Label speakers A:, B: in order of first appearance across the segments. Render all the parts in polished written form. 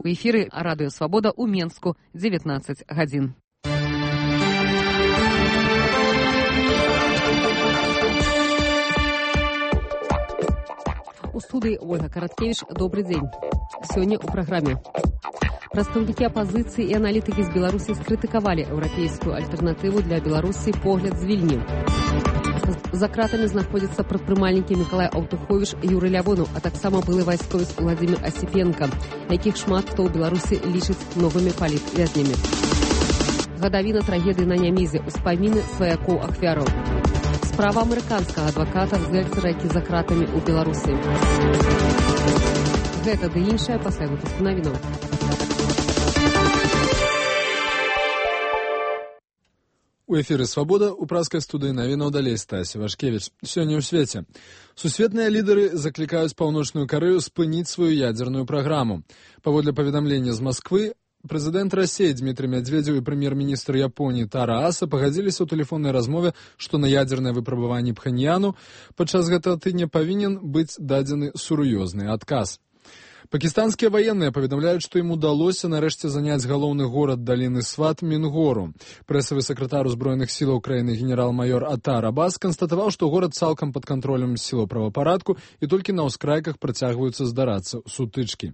A: У эфіры Радыё Свабода ў Менску, 19 гадзін. У студыі Ольга Караткевіч. Добрый дзень. Сёння ў праграме. Прадстаўнікі апазіцыі і аналітыкі з Беларусі скрытыкавалі еўрапейскую альтэрнатыву для Беларусі «Погляд з Вільні». За кратамі знаходзяцца прадпрымальнікі Мікалай Аўтуховіч і Юрый Лявонаў, а таксама былы вайсковец Владзімір Асіпенка, якіх шмат хто ў Беларусі лічыць новымі палітвязнямі. Гадавіна трагедыі на Нямізе, успаміны сваякоў ахвяраў. Справа амерыканскага адваката Зельцера, які за кратамі ў Беларусі. Гэта ды іншае пасля выпуску навінаў.
B: У эфіры «Свабода» у праскай студыі навінаў далей Стасі Вашкевіч. Сёння ў свеце. Сусветныя лідары заклікаюць Паўночную Карэю спыніць сваю ядзерную праграму. Паводле паведамлення з Масквы, прэзідэнт Расіі Дмітрый Мядзведзеў і прэм'ер-міністр Японіі Тара Аса пагадзіліся ў тэлефоннай размове, што на ядзернае выпрабаванне Пхэньяну падчас гэтага тыдня павінен быць дадзены сур'ёзны адказ. Пакістанскія ваенныя паведамляюць, што ім удалося нарэшце заняць галоўны горад даліны Сват Мінгору. Прэсавы сакратар узброеных сілаў краіны генерал-майор Атар Абас канстатаваў, што горад цалкам пад кантролем сілаў правапарадку і толькі на ўскрайках працягваюцца здарацца сутычкі.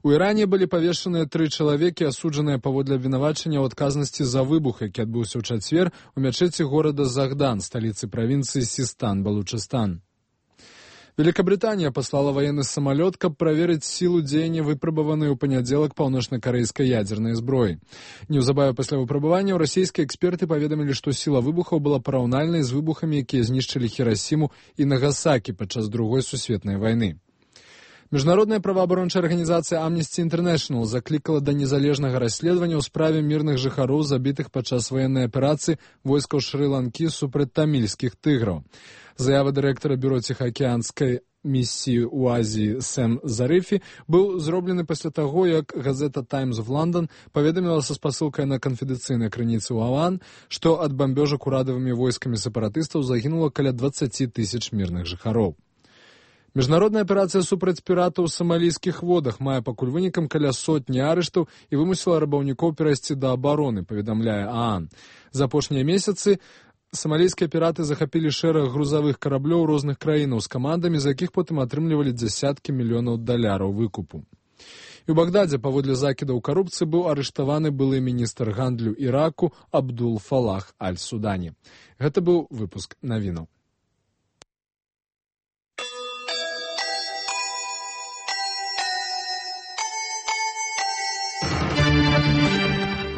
B: У Іране былі павешаныя 3 чалавекі, асуджаныя паводле абвінавачання ў адказнасці за выбух, які адбыўся ў чацвер у мячэці горада Загдан, сталіцы правінцыі Систан, Балучыстан. Великобритания послала военный самолет, каб праверыць силу дзеяння выпрабаванай у панядзелак паўночна-карэйскай ядзернай зброі. Неўзабаве пасля выпрабавання расійскія эксперты паведамілі, што сіла выбухаў была параўнальнай з выбухамі, якія знішчылі Хірасіму і Нагасакі падчас Другой сусветнай вайны. Міжнародная праваабарончая арганізацыя Amnesty International заклікала да незалежнага расследавання ў справе мірных жыхароў, забітых падчас ваеннай аперацыі войскаў Шры-Ланкі супраць тамільскіх тыграў. Заява дырэктара бюро ціхаакіянскай місіі ў Азіі Сэм Зарыфі быў зроблены пасля таго, як газета Times of London паведаміла са спасылкай на канфідэнцыйнай крыніцы ў АОН, што ад бамбёжак урадавымі войскамі сепаратыстаў загінула каля 20 000 мірных жыхароў. Міжнародная аперацыя супраць піратаў у самалійскіх водах мае пакуль вынікам каля 100 арыштаў і вымусіла рабаўнікоў перайсці да абароны, паведамляе АОН. За апошнія месяцы самалійскія піраты захапілі шэраг грузавых караблёў розных краінаў з камандамі, з якіх потым атрымлівалі дзясяткі мільёнаў даляраў выкупу. І ў Багдадзе паводле закідаў карупцыі быў арыштаваны былы міністр гандлю Іраку Абдул Фалах Аль-Судані. Гэта быў выпуск навінаў.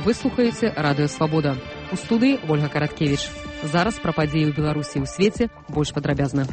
A: Вы слухаеце Радыё Свабода. У студыі Ольга Караткевіч. Зараз пра падзеі ў Беларусі і ў свеце больш падрабязна.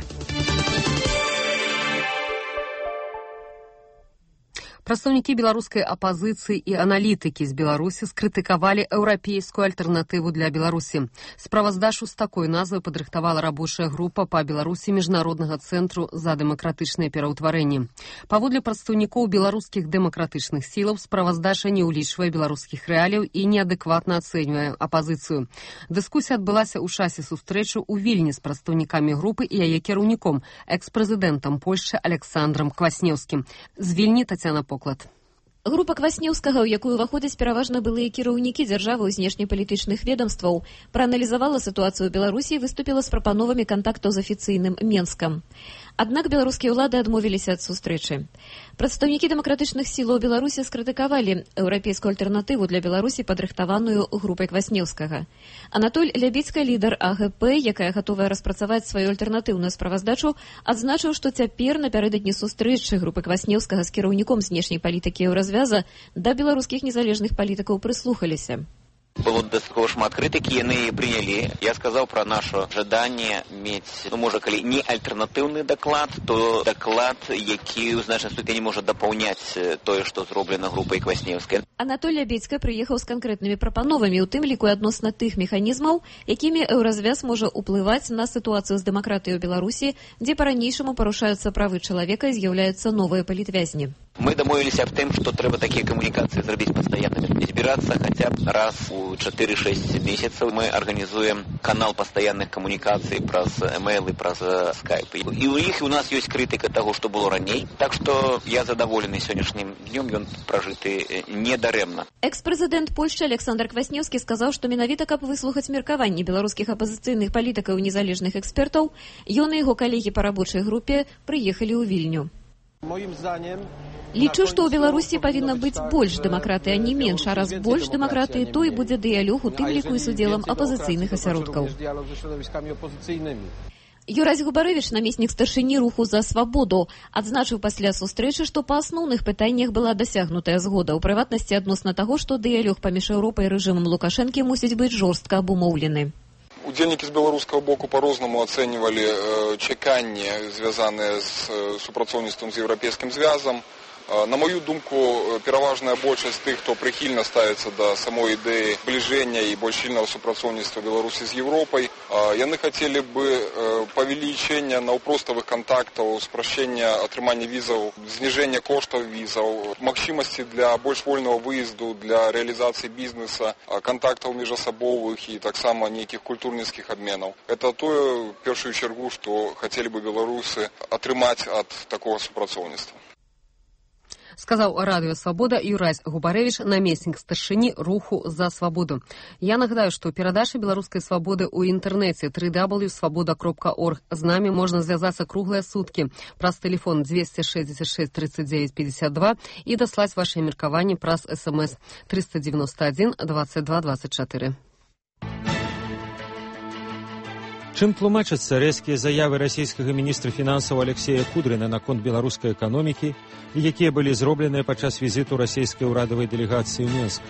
A: Прадстаўнікі беларускай апазіцыі і аналітыкі з Беларусі скрытыкавалі еўрапейскую альтэрнатыву для Беларусі. Справаздачу з такой назвай падрыхтавала рабочая група па Беларусі Міжнароднага цэнтру за дэмакратычнае пераўтварэнне. Паводле прадстаўнікоў беларускіх дэмакратычных сілаў, справаздача не ўлічвае беларускіх рэаліяў і неадэкватна ацэньвае апазіцыю. Дыскусія адбылася ў часе сустрэчы ў Вільні з прадстаўнікамі групы і яе кіраўніком, экс-прэзідэнтам Польшчы Александрам Кваснеўскім. З Вільні Тацяна Поклад.
C: Група Кваснеўскага, у якую ўваходзяць пераважна былыя кіраўнікі дзяржавы і знешнепалітычных ведомстваў, прааналізавала сітуацыю ў Беларусі і выступіла з прапановамі кантактаў з афіцыйным Менскам. Аднак беларускія ўлады адмовіліся ад сустрэчы. Прадстаўнікі дэмакратычных сілаў Беларусі скрытыкавалі еўрапейскую альтэрнатыву для Беларусі, падрыхтаваную групай Кваснеўскага. Анатоль Лябіцка, лідар АГП, якая гатовая распрацаваць сваю альтэрнатыўную справаздачу, адзначыў, што цяпер напярэдадні сустрэчы групы Кваснеўскага з кіраўніком знешняй палітыкі Еўразвяза да беларускіх незалежных палітыкаў прыслухаліся.
D: Было дастаткова шмат крытыкі, яны прынялі. Я сказаў пра наша жаданне мець, можа, калі не альтэрнатыўны даклад, то даклад, які ў значнай ступені можа дапаўняць тое, што зроблена групай Кваснеўскай.
C: Анатоль Лябіцка прыехаў з канкрэтнымі прапановамі, у тым ліку адносна тых механізмаў, якімі Еўразвяз можа ўплываць на сітуацыю з дэмакратыяй у Беларусі, дзе па-ранейшаму парушаюцца правы чалавека і з'яўляюцца новыя палітвязні.
D: Мы дамовіліся аб тым, што трэба такія камунікацыі зрабіць пастаяннымі. Збірацца хаця б раз у 4-6 месяцаў. Мы арганізуем канал пастаянных камунікацый праз эмейлы, праз скайп. І ў іх у нас ёсць крытыка таго, што было раней. Так што я задаволены сённяшнім днём, ён пражыты недарэмна.
C: Экс-прэзідэнт Польшчы Александр Кваснеўскі сказаў, што менавіта каб выслухаць меркаванні беларускіх апазіцыйных палітыкаў і незалежных экспертаў, ён і яго калегі па рабочай групе прыехалі ў Вільню. Лічу, што ў Беларусі павінна быць больш дэмакратыі, а не менш, а раз больш дэмакратыі, то і будзе дыялог, у тым ліку і з удзелам апазіцыйных асяродкаў. Юрась Губарэвіч, намеснік старшыні руху за свабоду, адзначыў пасля сустрэчы, што па асноўных пытаннях была дасягнутая згода, у прыватнасці адносна таго, што дыялог паміж Еўропай і рэжымам Лукашэнкі мусіць быць жорстка абумоўлены.
E: Удзельнікі з беларускага боку по-рознаму ацэньвалі чаканні, звязаныя з супрацоўніцтвам з еўрапейскім звязам. На мою думку, пераважная большасць тых, хто прыхільна ставіцца да самой ідэі збліжэння і больш сильнага супрацоўніцтва Беларусі з Еўропай, яны хацелі бы павелічэння наўпроставых кантактаў, спрашчэння атрымання візаў, зніжэння коштаў візаў, магчымасці для больш вольнага выезду, для рэалізацыі бізнеса, кантактаў міжасабовых і таксама нейкіх культурніцкіх абменаў. Это тое, в першую чаргу, што хацелі бы беларусы атрымаць ад такога супрацоўніцтва.
A: Сказаў радыё «Свабода» Юрась Губарэвіч, намеснік старшыні руху за свабоду. Я нагадаю, што перадача беларускай свабоды ў інтэрнэце www.svoboda.org. З намі можна звязацца круглыя суткі праз тэлефон 266 39 52 і даслаць вашыя меркаванні праз СМС 391 22 24.
F: Чым тлумачацца рэзкія заявы расійскага міністра фінансаў Алексея Кудрына наконт беларускай эканомікі, якія былі зробленыя падчас візіту расійскай урадавай дэлегацыі ў Менск?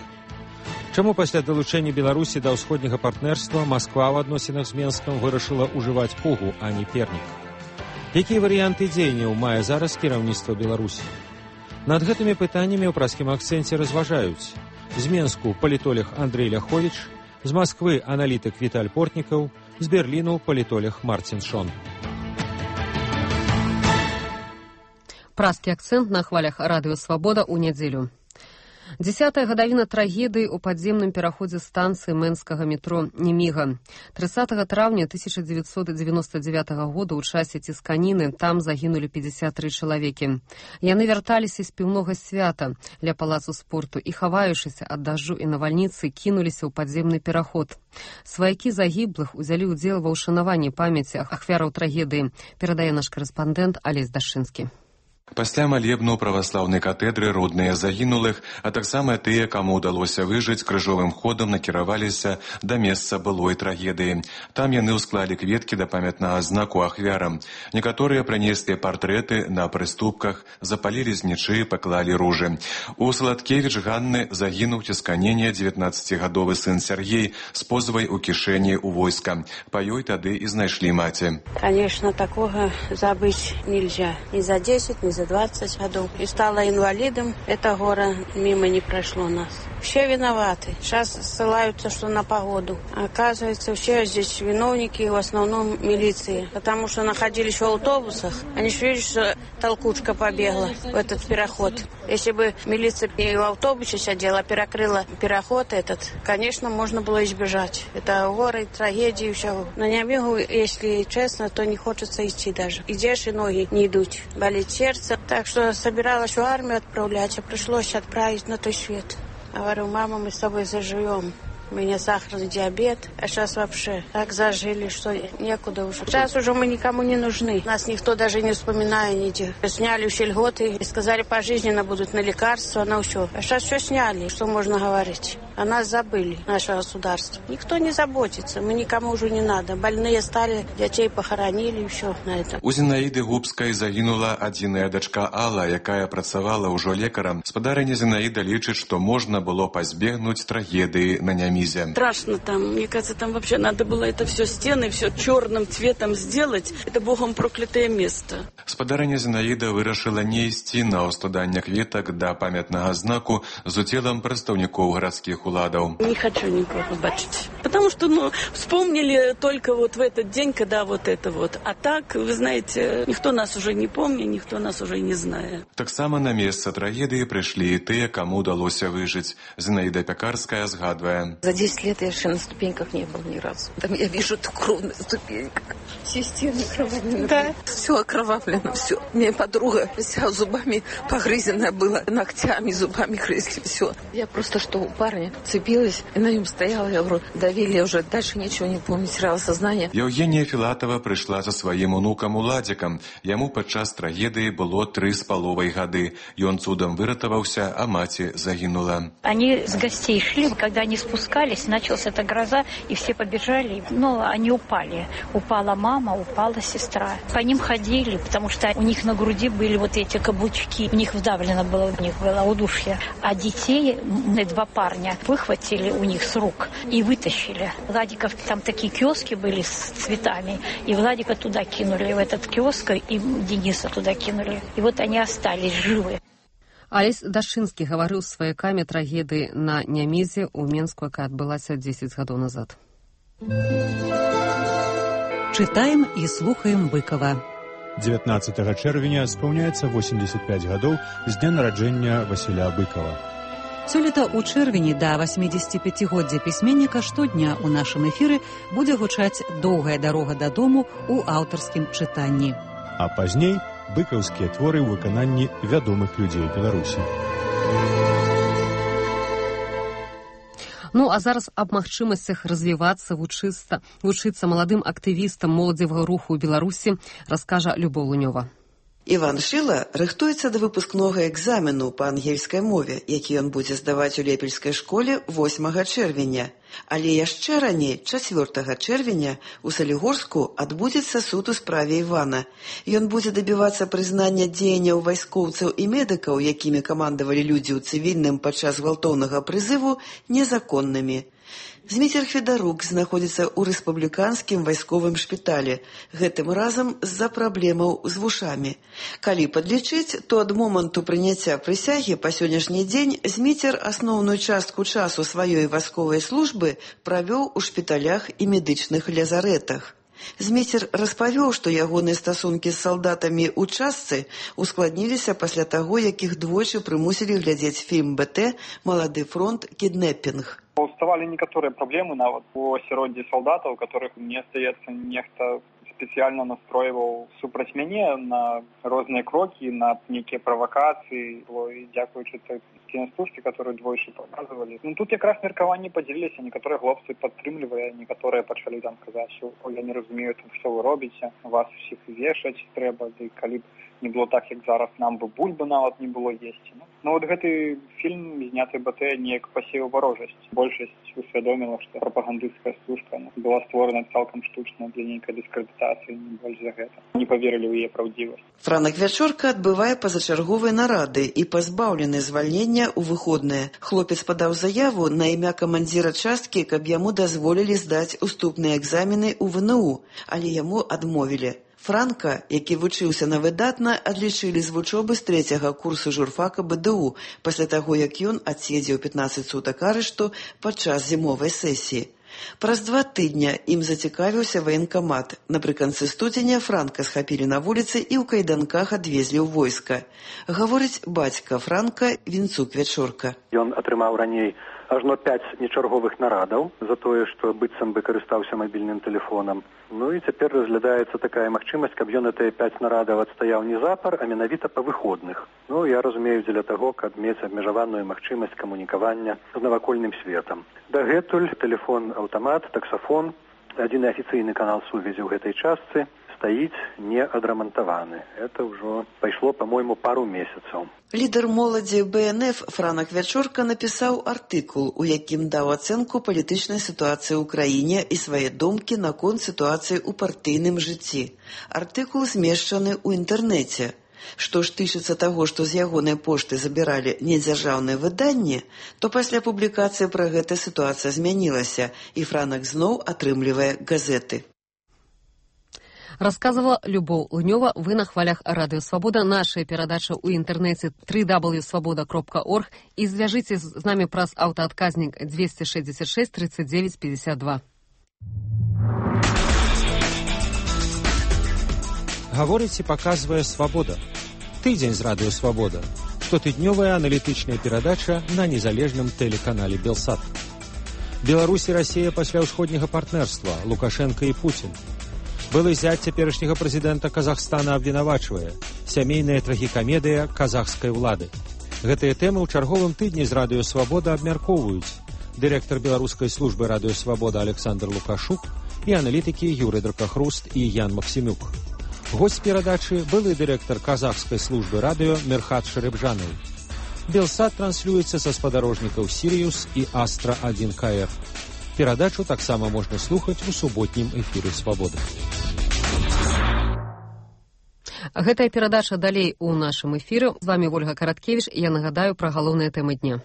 F: Чаму пасля далучэння Беларусі да ўсходняга партнерства Масква ў адносінах з Менскам вырашыла ўжываць пугу, а не пернік? Якія варыянты дзеянняў мае зараз кіраўніцтва Беларусі? Над гэтымі пытаннямі ў праскім акцэнце разважаюць з Менску палітолог Андрей Ляховіч, з Масквы аналітык Віталь Портнікаў, з Берліну палітолог Мартин Шон.
A: Праскі акцэнт на хвалях радыё «Свабода» ў нядзелю. 10-я гадавіна трагедыі ў падземным пераходзе станцыі мэнскага метро Неміга. 30 траўня 1999 года ў часе цісканіны там загінулі 53 чалавекі. Яны вярталіся з піўнога свята ля палацу спорту і, хаваючыся ад дажджу і навальніцы, кінуліся ў падземны пераход. Сваякі загіблых узялі ўдзел ва ўшанаванні памяці ахвяраў трагедыі, перадае наш карэспандэнт Алесь Дашчынскі.
G: Пасля малебну праваслаўнай катедры родныя загінулых, а таксама тыя, каму ўдалося выжыць, крыжовым ходам накіраваліся да месца былой трагедыі. Там яны ўсклалі кветкі да памятнага знаку ахвярам. Некаторыя прынеслі партрэты на прыступках, запалілі знічы, паклалі ружы. У Салаткевіч Ганны загінуў цісканення 19-гадовы сын Сергей з позвай у кішэні ў войска. Па ёй тады і знайшлі маці.
H: Конечно, такого забыть нельзя. Ни за 10, ни за 20 годов. И стала инвалидом. Это горе мимо не прошло нас. Все виноваты. Сейчас ссылаются, что на погоду. Оказывается, все здесь виновники, в основном милиции. Потому что находились в автобусах. Они же видят, что толкучка побегла в этот переход. Если бы милиция и в автобусе сидела, перекрыла переход этот, конечно, можно было избежать. Это горы, трагедии, все. На Немигу, если честно, то не хочется идти даже. Идешь, и ноги не идут. Болит сердце. Так что собиралась в армию отправлять, а пришлось отправить на той свет. Говорю, мама, мы с тобой заживем. У меня сахарный диабет, а сейчас вообще так зажили, что некуда уже. Сейчас уже мы никому не нужны. Нас никто даже не вспоминает нигде. Сняли все льготы и сказали, пожизненно будут на лекарства, на все. А сейчас все сняли, что можно говорить. О нас забыли, наше государство. Никто не заботится, мы никому уже не надо. Больные стали, детей похоронили и все на этом.
G: У Зінаіды Губскай загінула адзіная дачка Алла, якая працавала ўжо лекарам. Спадарыня Зінаіда лічыць, што можна было пазбегнуць трагедыі на Немізе.
I: Страшно там. Мне кажется, там вообще надо было это все стены, все черным цветом сделать. Это богом проклятое место.
G: Спадарыня Зінаіда вырашыла не ісці на ўскладанне кветак да памятнага знаку з удзелам прадстаўнікоў гарадскіх беларускіх уладаў.
I: Не хочу никого бачить. Потому что, вспомнили только вот в этот день, когда вот это вот. А так, вы знаете, никто нас уже не помнит, никто нас уже не знает.
G: Таксама на месца трагедыі прыйшлі і тыя, каму удалося выжыць. Зинаида Пекарская згадвае.
J: За 10 лет я еще на ступеньках не был ни разу. Там я вижу эту кровь на ступеньках. Все стены окровавлены. Да. Все окровавлено, все. Мне подруга вся зубами погрызенная была, ногтями, зубами грызли, все. Я просто что у парня цепилась и на нем стояла, я говорю, давили, я уже дальше ничего не помню, теряла сознание.
G: Евгения Филатова прыйшла за сваім унукам Уладзікам. Яму падчас трагедыі было 3,5 гады. Ён цудам выратаваўся, а маці загінула.
K: Они с гостей шли, когда они спускались, началась эта гроза, и все побежали, они упали. Упала мама, упала сестра. По ним ходили, потому что у них на груди были вот эти каблучки, у них вдавлено было, у них было удушье. А детей, 2 парня, выхватили у них с рук и вытащили. Владиков, там такие киоски были с цветами, и Владика туда кинули, в этот киоск, и Дениса туда кинули. И вот они остались живы.
A: Алесь Дашынскі гаварыў з сваякамі трагедыі на Нямезе ў Менску, якая адбылася 10 гадоў назад.
L: Читаем и слухаем Быкова.
F: 19 чэрвеня спаўняецца 85 гадоў з дня нараджэння Васіля Быкова.
L: Сёлета ў чэрвені да 85-годдзя пісьменніка штодня ў нашым эфіры будзе гучаць «Доўгая дарога дадому» ў аўтарскім чытанні.
F: А пазней быкаўскія творы ў выкананні вядомых людзей Беларусі.
A: А зараз аб магчымасцях развівацца, вучыцца маладым актывістам моладзевага руху ў Беларусі раскажа Любоў Лунёва.
M: Іван Шыла рыхтуецца да выпускнога экзамену па ангельскай мове, які ён будзе здаваць у Лепельскай школе 8 чэрвеня. Але яшчэ раней, 4 чэрвеня, у Салігорску адбудзецца суд у справе Івана. Ён будзе дабівацца прызнання дзеянняў вайскоўцаў і медыкаў, якімі камандавалі людзі ў цывільным падчас гвалтоўнага прызыву, незаконнымі. Зміцер Федарук знаходзіцца ў рэспубліканскім вайсковым шпіталі, гэтым разам з-за праблемаў з вушамі. Калі падлічыць, то ад моманту прыняцця прысягі па сённяшні дзень Зміцер асноўную частку часу сваёй вайсковай службы правёў у шпіталях і медычных лязарэтах. Зміцер распавёў, што ягоныя стасункі з салдатамі ў частцы ускладніліся пасля таго, як іх двойчы прымусілі глядзець фільм БТ «Малады фронт. Кіднэпінг».
N: Уставали некоторые проблемы нават у асяроддзі салдатаў, которых, мне здаецца, нехта спецыяльна настройваў супраць мяне на розныя крокі, на нейкія правакацыі, і дзякуючы той кінастужкі, которую двойчы паказвалі. Тут якраз меркаванні падзяліліся, некаторыя хлопцы падтрымлівалі, некаторыя пачалі там казаць, што я не разумею, што вы робіце, вас усіх вешаць трэба, ды калі б не было так, як зараз, нам бы бульбы нават не было есці. Вот гэты фільм, зняты БТ, неяк пасеяў варожасць. Большасць усвядоміла, што прапагандысцкая стужка была створана цалкам штучна для нейкай дыскрэдытацыі, не больш за гэта. Не паверылі ў яе праўдзівасць.
M: Франак Вячорка адбывае пазачарговыя нарады і пазбаўлены звальнення ў выходныя. Хлопец падаў заяву на імя камандзіра часткі, каб яму дазволілі здаць уступныя экзамены ў ВНУ, але яму адмовілі. Франка, які вучыўся на выдатна, адлічылі з вучобы з 3-го курсу журфака БДУ, пасля таго, як ён адседзеў 15 сутак арышту падчас зімовай сесіі. Праз 2 тыдня ім зацікавіўся ваенкамат. Напрыканцы студзеня Франка схапілі на вуліцы і ў кайданках адвезлі ў войска. Гаворыць бацька Франка Вінцук Вячорка.
O: Ён атрымаў раней ажно 5 нечарговых нарадаў за тое, што быццам бы карыстаўся мабільным тэлефонам. І цяпер разглядаецца такая магчымасць, каб ён гэтыя 5 нарадаў адстаяў не запар, а менавіта па выходных. Я разумею, дзеля таго, каб мець абмежаваную магчымасць камунікавання з навакольным светам. Дагэтуль тэлефон-аўтамат, таксафон, адзіны афіцыйны канал сувязі ў гэтай частцы стаіць неадрамантаваны. Это ўжо пайшло, па-мойму, пару месяцаў.
M: Лідар моладзі БНФ Франак Вячорка напісаў артыкул, у якім даў ацэнку палітычнай сітуацыі ў краіне і свае думкі наконт сітуацыі ў партыйным жыцці. Артыкул змешчаны ў інтэрнэце. Што ж тычыцца таго, што з ягонай пошты забіралі недзяржаўныя выданні, то пасля публікацыі пра гэта сітуацыя змянілася, і Франак зноў атрымлівае газеты.
A: Рассказывала Любовь Лунёва. Вы на хвалях Радио Свобода. Наша передача у интернете www.svoboda.org. И свяжитесь с нами праз аўтаадказнік 266 39 52.
F: Гаворыць і паказвае «Свабода». Тыдзень з Радыё Свабода. Штотыднёвая аналітычная перадача на незалежным тэлеканале «Белсат». Беларусь і Расія пасля ўсходняга партнерства, Лукашенко і Путін. Былы зять цяперашняга прэзідэнта Казахстана абвінавачвае. Сямейная трагікамедыя казахскай улады. Гэтыя тэмы ў чарговым тыдні з Радыё Свабода абмяркоўваюць дырэктар беларускай службы Радыё Свабода Александр Лукашук і аналітыкі Юрый Дракахруст і Ян Максімюк. Госць перадачы былы дырэктар казахскай службы радыё Мерхат Шарыбжанаў. Белсат транслюецца са спадарожнікаў Сіриус і Астра-1 КР. Перадачу таксама можна слухаць у суботнім эфіры «Свабоды».
A: Гэтая перадача далей у нашым эфіры. З вами Ольга Караткевіч. Я нагадаю пра галоўныя тэмы дня.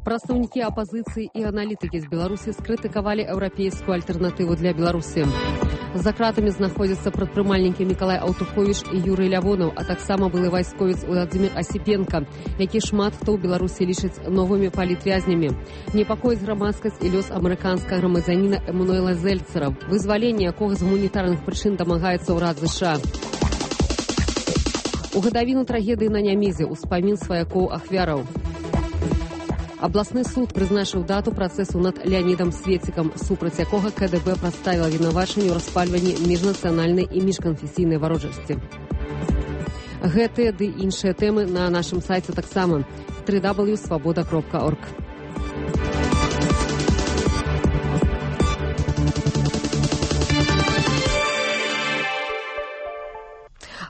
A: Прадстаўнікі апазіцыі і аналітыкі з Беларусі скрытыкавалі еўрапейскую альтэрнатыву для Беларусі. За кратамі знаходзяцца прадпрымальнікі Мікалай Аўтуховіч і Юрый Лявонаў, а таксама былы вайсковец Владзімір Асіпенка, які шмат хто ў Беларусі лічыць новымі палітвязнямі. Непакоіць грамадскасць і лёс амерыканскага грамадзяніна Эмануэла Зельцера, вызваленне якога з гуманітарных прычын дамагаецца ўрад США. У гадавіну трагедыі на Нямізе ўспамін сваякоў ахвяраў. Абласны суд прызначыў дату працэсу над Леанідам Свецікам, супраць якога КДБ прадставіла вінавачанне ў распальванні міжнацыянальнай і міжканфесійнай варожасці. Гэтыя ды іншыя тэмы на нашым сайце таксама www.svoboda.org.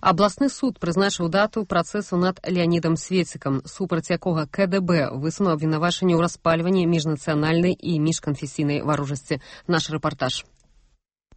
A: Абласны суд прызначыў дату працэсу над Леанідам Свецікам, супраць якога КДБ высунуў абвінавачанне ў распальванні міжнацыянальнай і міжканфесійнай варожасці. Наш рэпартаж.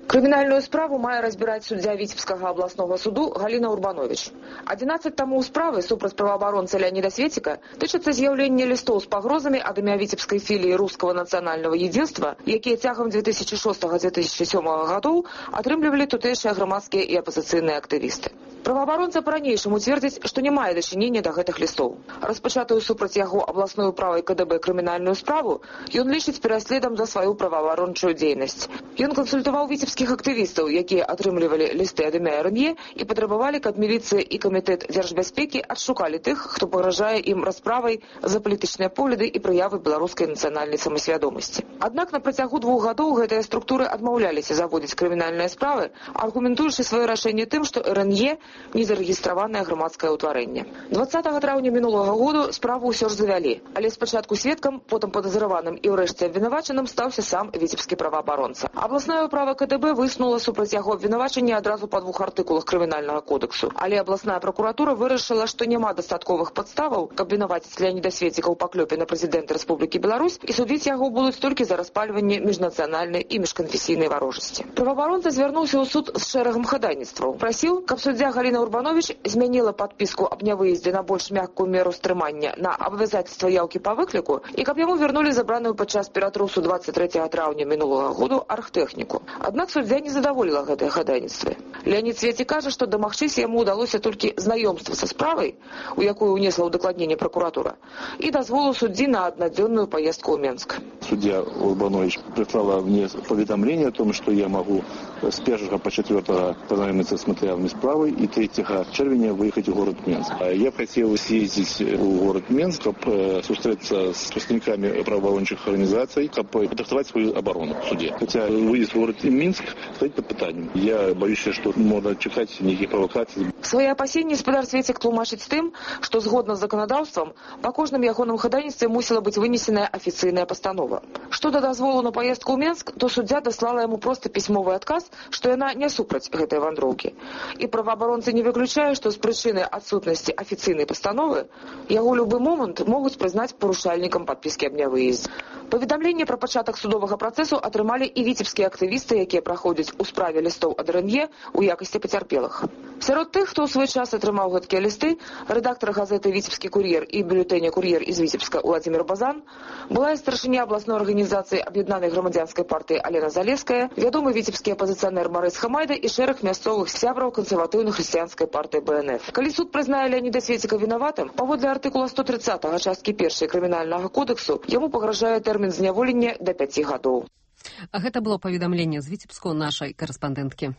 P: Крымінальную справу мае разбіраць суддзя Віцебскага абласнога суду Галіна Урбанович. 11 тамоў справы супраць праваабаронцы Леаніда Свеціка тычацца з'яўлення лістоў з пагрозамі ад імя віцебскай філіі Рускага нацыянальнага едзінства, якія цягам 2006-2007 гадоў атрымлівалі тутэйшыя грамадскія і апазіцыйныя актывісты. Праваабаронца па-ранейшаму цвердзіць, што не мае дачынення да гэтых лістоў. Распачатую супраць яго абласной управай КДБ крымінальную справу ён лічыць пераследам за сваю праваабарончую дзейнасць. Ён кансультаваў віцебскіх актывістаў, якія атрымлівалі лісты ад імя РНЕ і патрабавалі, каб міліцыя і камітэт дзяржбяспекі адшукалі тых, хто пагражае ім расправай за палітычныя погляды і праявы беларускай нацыянальнай самасвядомасці. Аднак на працягу 2 гадоў гэтыя структуры адмаўляліся заводзіць крымінальныя справы, аргументуючы сваё рашэнне тым, што РНЕ незарэгістраванае грамадскае ўтварэнне. 20 траўня мінулага году справу ўсё ж завялі, але спачатку сведкам, потым падазраваным і ўрэшце абвінавачаным стаўся сам віцебскі праваабаронца. Абласная управа КДБ высунула супраць яго абвінавачанне адразу па 2 артыкулах крымінальнага кодексу, але абласная пракуратура вырашыла, што няма дастатковых падставаў, каб вінаваціць Леаніда Свеціка ў паклёпе на прэзідэнта Рэспублікі Беларусь, і судзіць яго будуць толькі за распальванне міжнацыянальнай і міжканфесійнай варожасці. Праваабаронца звярнуўся ў суд з шэрагам хадайніцтваў. Прасіў, каб суддзя Галіна Урбанович змяніла падпіску аб нявыездзе на больш мяккую меру стрымання на абавязацтва яўкі па выкліку і каб яму вярнулі забраную падчас ператрусу 23 траўня мінулага году архтэхніку. Аднак суддзя не задаволіла гэтыя хадайніцтвы. Леанід Свецік кажа, што дамагчыся яму ўдалося толькі знаёмства са справай, у якую ўнесла ўдакладненне пракуратура, і дазволу суддзі на аднадзённую поездку ў Менск.
Q: Судья Урбанович прислала мне поведомление о том, что я могу с 1 по 4 познакомиться с материалами справы и 3 червня выехать в город Минск. Я хотел съездить в город Минск, чтобы встретиться с представителями правоохранительных организаций, чтобы подготовить свою оборону в суде. Хотя выезд в город Минск стоит под питанием. Я боюсь, что можно чекать никаких провокаций.
P: Свои опасения гаспадар Свецік тлумачыць тым, што згодна з заканадаўствам па кожным ягоным хадайніцтве мусіла быць вынесеная афіцыйная пастанова. Што да дазволу на паездку ў Менск, то суддзя даслала яму проста пісьмовы адказ, што яна не супраць гэтай вандроўкі. І праваабаронцы не выключае, што з прычыны адсутнасці афіцыйнай пастановы яго любы момант могуць прызнаць парушальнікам падпіскі аб нявыездзе. Паведамленне пра пачатак судовага працэсу атрымалі і віцебскія актывісты, якія праходзяць у справе лістоў ад РНЕ у якасці пацярпелых. Сярод тых, хто ў свой час атрымаў гэткія лісты, рэдактар газеты «Віцебскі кур'ер» і бюлетэня «Кур'ер» из Віцебска Владимир Базан, была і старшыня абласной арганізацыі Аб'яднанай грамадзянскай партыі Алена Залеская, вядомы віцебскі апазіцыянер Марыс Хамайда і шэраг мясцовых сябраў кансерватыўнай хрысціянскай партыі БНФ. Калі суд прызнае Леаніда Свеціка вінаватым, паводле артыкула 130 часткі 1 крымінальнага кодексу, яму пагражае тэрмін зняволення да 5 гадоў.
A: А гэта было паведамленне з Віцебску нашай карэспандэнткі.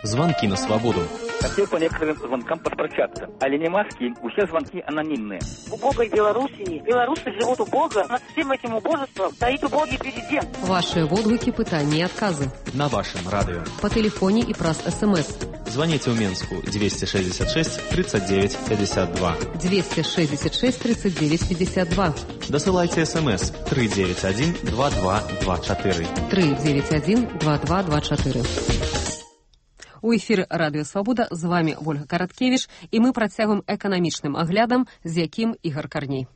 R: Звонки на свободу.
S: Хотел по некоторым звонкам подпрощаться. Але не маски, все звонки анонимные.
T: В убогой Белоруссии белорусы живут убого. Над всем этим убожеством стоит убогий президент.
A: Ваши водгуки, пытания и отказы.
R: На вашем радио.
A: По телефоне и праз СМС.
R: Звоните в Минску 266 39 52.
A: 266 39 52.
R: Досылайте СМС 391 2224.
A: 391 2224. У эфіры Радыё Свабода, з вами Вольга Караткевіч, і мы працягваем эканамічным аглядам, з якім Ігар Карней.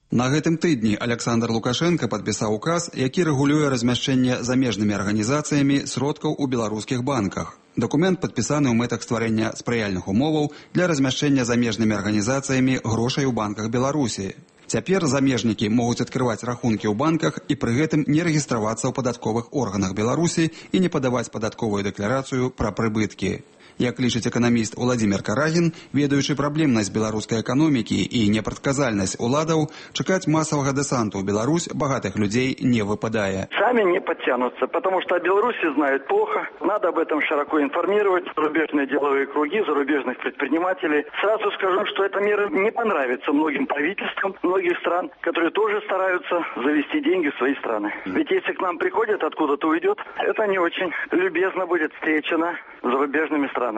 U: На гэтым тыдні Александр Лукашенко падпісаў указ, які рэгулюе размяшчэнне замежнымі арганізацыямі сродкаў у беларускіх банках. Дакумент падпісаны ў мэтах стварэння спрыяльных умоваў для размяшчэння замежнымі арганізацыямі грошай у банках Беларусі. Цяпер замежнікі могуць адкрываць рахункі ў банках і пры гэтым не рэгістравацца ў падатковых органах Беларусі і не падаваць падатковую дэкларацыю пра прыбыткі. Як лічыць эканаміст Владимир Карагін, ведаючы праблемнасць беларускай эканомікі і непрадказальнасць уладаў, чакаць масавага дэсанту ў Беларусь багатых людзей не выпадае.
V: Сами не подтянутся, потому что о Беларуси знают плохо. Надо об этом широко информировать зарубежные деловые круги, зарубежных предпринимателей. Сразу скажу, что эта мера не понравится многим правительствам многих стран, которые тоже стараются завести деньги в свои страны. Ведь если к нам приходят, откуда-то уйдет, это не очень любезно будет встречено зарубежными странами.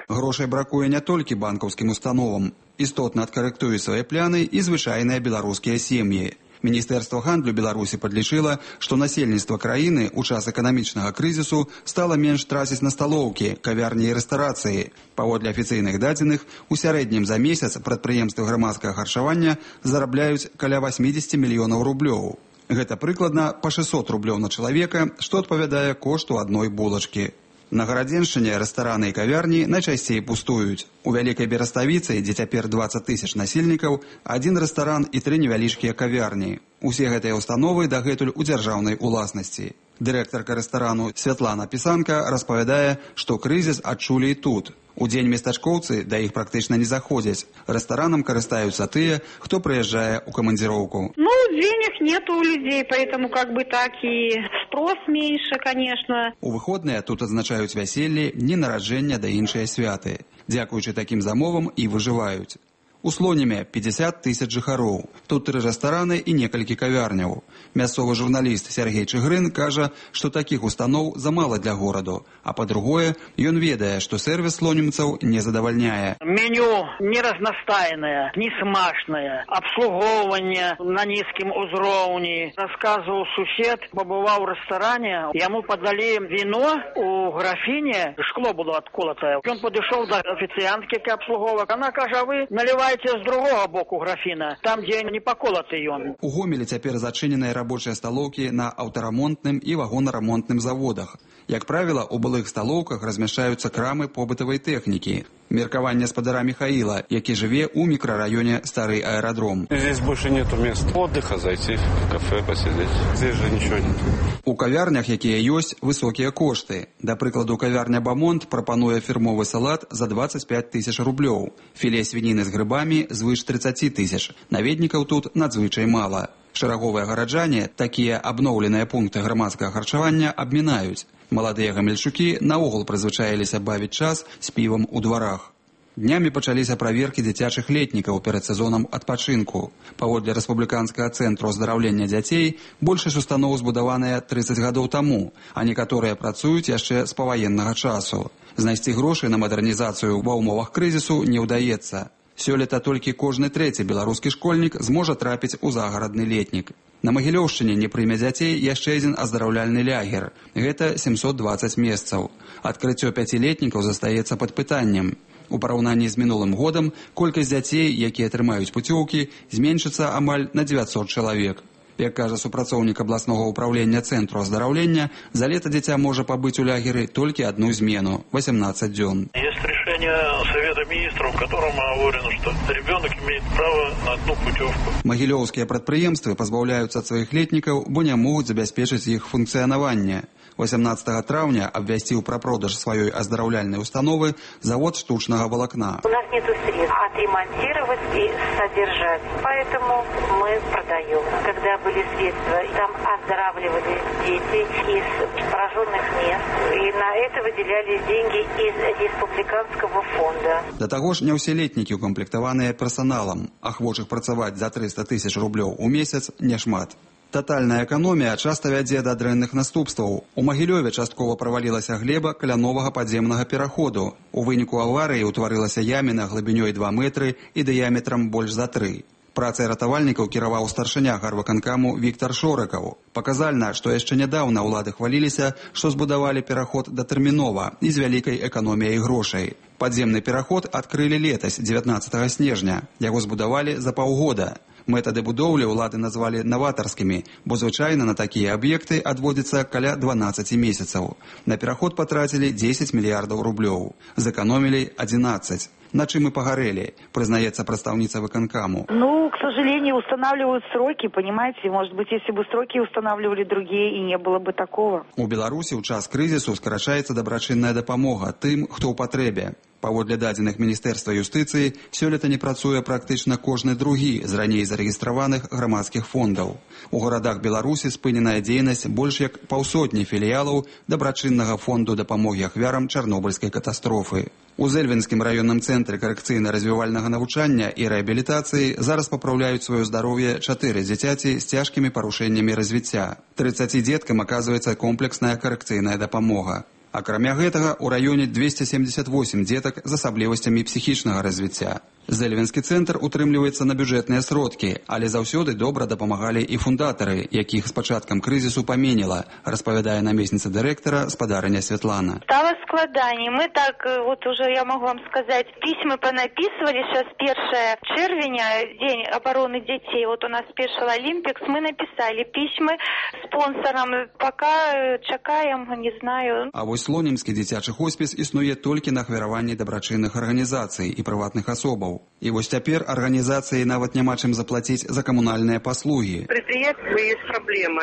U: Грошай бракуе не толькі банкаўскім установам. Істотна адкарэктуюць свае пляны і звычайныя беларускія сем'і. Міністэрства гандлю Беларусі падлічыла, што насельніцтва краіны ў час эканамічнага крызісу стала менш траціць на сталоўкі, кавярні і рэстарацыі. Паводле афіцыйных дадзеных, у сярэднім за месяц прадпрыемствы грамадскага харчавання зарабляюць каля 80 мільёнаў рублёў. Гэта прыкладна па 600 рублёў на чалавека, што адпавядае кошту адной булачкі. На Гарадзеншчыне рэстараны і кавярні найчасцей пустуюць. У Вялікай Бераставіцы, дзе цяпер 20 тысяч насельнікаў, адзін рэстаран і 3 невялічкія кавярні. Усе гэтыя установы дагэтуль у дзяржаўнай уласнасці. Дырэктарка рэстарану Святлана Пісанка распавядае, што крызіс адчулі і тут. У дзень местачкоўцы да іх практычна не заходзяць. Рэстаранам карыстаюцца тыя, хто прыязджае ў камандзіроўку.
W: Денег нет у людей, поэтому так и спрос меньше, конечно.
U: У выходныя тут адзначаюць вяселлі, дні нараджэння да іншыя святы. Дзякуючы такім замовам і выжываюць. У Слонеме 50 тысяч жыхароў. Тут 3 рэстараны і некалькі кавярняў. Мясцовы журналіст Сергей Чыгрын кажа, што такіх устаноў замала для гораду. А па-другое, ён ведае, што сервіс слонемцаў не задавальняе.
W: Меню не разнастайнае, не смачнае, абслугоўванне на нізкім узроўні. Расказваў сусед, пабываў у рэстаране, яму падалі віно у графіне, шкло было адколатае. Ён падышоў да афіцыянткі абслуговак. Она кажа, вы наливаеце з другого боку графіна, там, дзе не паколаты ён.
U: У Гомелі цяпер зачыненыя рабочыя сталоўкі на аўтарамонтным і вагонарамонтным заводах. Як правіла, у былых сталоўках размяшчаюцца крамы побытавай тэхнікі. Меркаванне спадара Михаила, які жыве ў мікрараёне Стары аэрадром.
X: Здесь больше нету мест отдыха, зайти в кафе, посидеть. Здесь же ничего нет.
U: У кавярнях, якія ёсць, высокія кошты. Да прыкладу, кавярня Бамонт прапануе фірмовы салат за 25 тысяч рублёў. Філе свініны з грыбамі звыш 30 тысяч. Наведнікаў тут надзвычай мала. Шараговыя гараджане такія абноўленыя пункты грамадскага харчавання абмінаюць. Маладыя гамельчукі наогул прызвычаіліся бавіць час з півам у дварах. Днямі пачаліся праверкі дзіцячых летнікаў перад сезонам адпачынку. Паводле рэспубліканскага цэнтру аздараўлення дзяцей, большасць устаноў збудаваныя 30 гадоў таму, а некаторыя працуюць яшчэ з паваеннага часу. Знайсці грошы на мадэрнізацыю ва ўмовах крызісу не ўдаецца. Сёлета толькі кожны 3-й беларускі школьнік зможа трапіць у загарадны летнік. На Магілёўшчыне не прыме дзяцей яшчэ адзін аздараўляльны лягер. Гэта 720 месцаў. Адкрыццё 5-летнікаў застаецца пад пытаннем. У параўнанні з мінулым годам колькасць дзяцей, якія атрымаюць пуцёўкі, зменшыцца амаль на 900 чалавек. Як кажа супрацоўнік абласнога ўправлення цэнтру аздараўлення, за лета дзіця можа пабыць у лягеры толькі одну змену – 18 дзён.
B: Есть решение Совета министров, в котором оговорено, что ребенок имеет право на одну путевку.
U: Магілёўскія прадпрыемствы пазбаўляюцца ад сваіх летнікаў, бо не могуць забяспечыць іх функцыянаванне. 18 траўня абвясціў пра продаж сваёй аздараўляльнай установы завод штучнага волокна.
C: У нас нет средств отремонтировать и содержать, поэтому мы продаем. Когда были средства, там оздоравливали дети из пораженных мест, и на это выделялись деньги из республиканского фонда.
U: Да таго ж не ўсе летнікі укамплектаваныя персаналам. Ахвочых працаваць за 300 000 рублёў у месяц няшмат. Татальная эканомія часта вядзе да дрэнных наступстваў. У Магілёве часткова правалілася глеба каля новага падземнага пераходу. У выніку аварыі ўтварылася яміна глыбінёй 2 метры і дыяметрам больш за 3. Працай ратавальнікаў кіраваў старшыня гарвыканкаму Віктар Шорыкаў. Паказальна, што яшчэ нядаўна ўлады хваліліся, што збудавалі пераход датэрмінова і з вялікай эканоміяй грошай. Падземны пераход адкрылі летась, 19 снежня. Яго збудавалі за паўгода. Метады будоўлі ўлады назвалі наватарскімі, бо звычайна на такія аб'екты адводзіцца каля 12 месяцаў. На пераход патрацілі 10 мільярдаў рублёў. Зэканомілі 11. На чым і пагарэлі, прызнаецца прадстаўніца выканкаму.
D: К сожалению, устанавливают сроки, понимаете? Может быть, если бы сроки устанавливали другие, и не было бы такого.
U: У Беларусі ў час крызісу скарачаецца дабрачынная дапамога тым, хто ў патрэбе. Паводле дадзеных Міністэрства юстыцыі, сёлета не працуе практычна кожны другі з раней зарэгістраваных грамадскіх фондаў. У гарадах Беларусі спыненая дзейнасць больш як 150 філіялаў дабрачыннага фонду дапамогі ахвярам чарнобыльскай катастрофы. У Зэльвенскім раённым цэнтры карэкцыйна-развівальнага навучання і рэабілітацыі зараз папраўляюць сваё здароўе 4 дзіцяці з цяжкімі парушэннямі развіцця. 30 дзеткам аказваецца комплексная карэкцыйная дапамога. Акрамя гэтага, у раёне 278 дзетак з асаблівасцямі псіхічнага развіцця. Зэльвенскі цэнтр утрымліваецца на бюджэтныя сродкі, але заўсёды добра дапамагалі і фундатары, якіх з пачаткам крызісу паменіла, распавядае намесніца дырэктара спадарыня Святлана.
C: Стало складаний. Мы так, вот уже я могу вам сказать, письма понаписывали. Сейчас 1 червеня, День обороны детей. Вот у нас Special Olympics. Мы написали письма спонсорам. Пока чакаем, не знаю.
U: А вось Слонімскі дзіцячы хоспіс існуе толькі на ахвяраванні дабрачынных арганізацый і прыватных асобаў. И вот теперь организации нават няма чым заплатить за коммунальные послуги.
E: Предприятия есть проблема.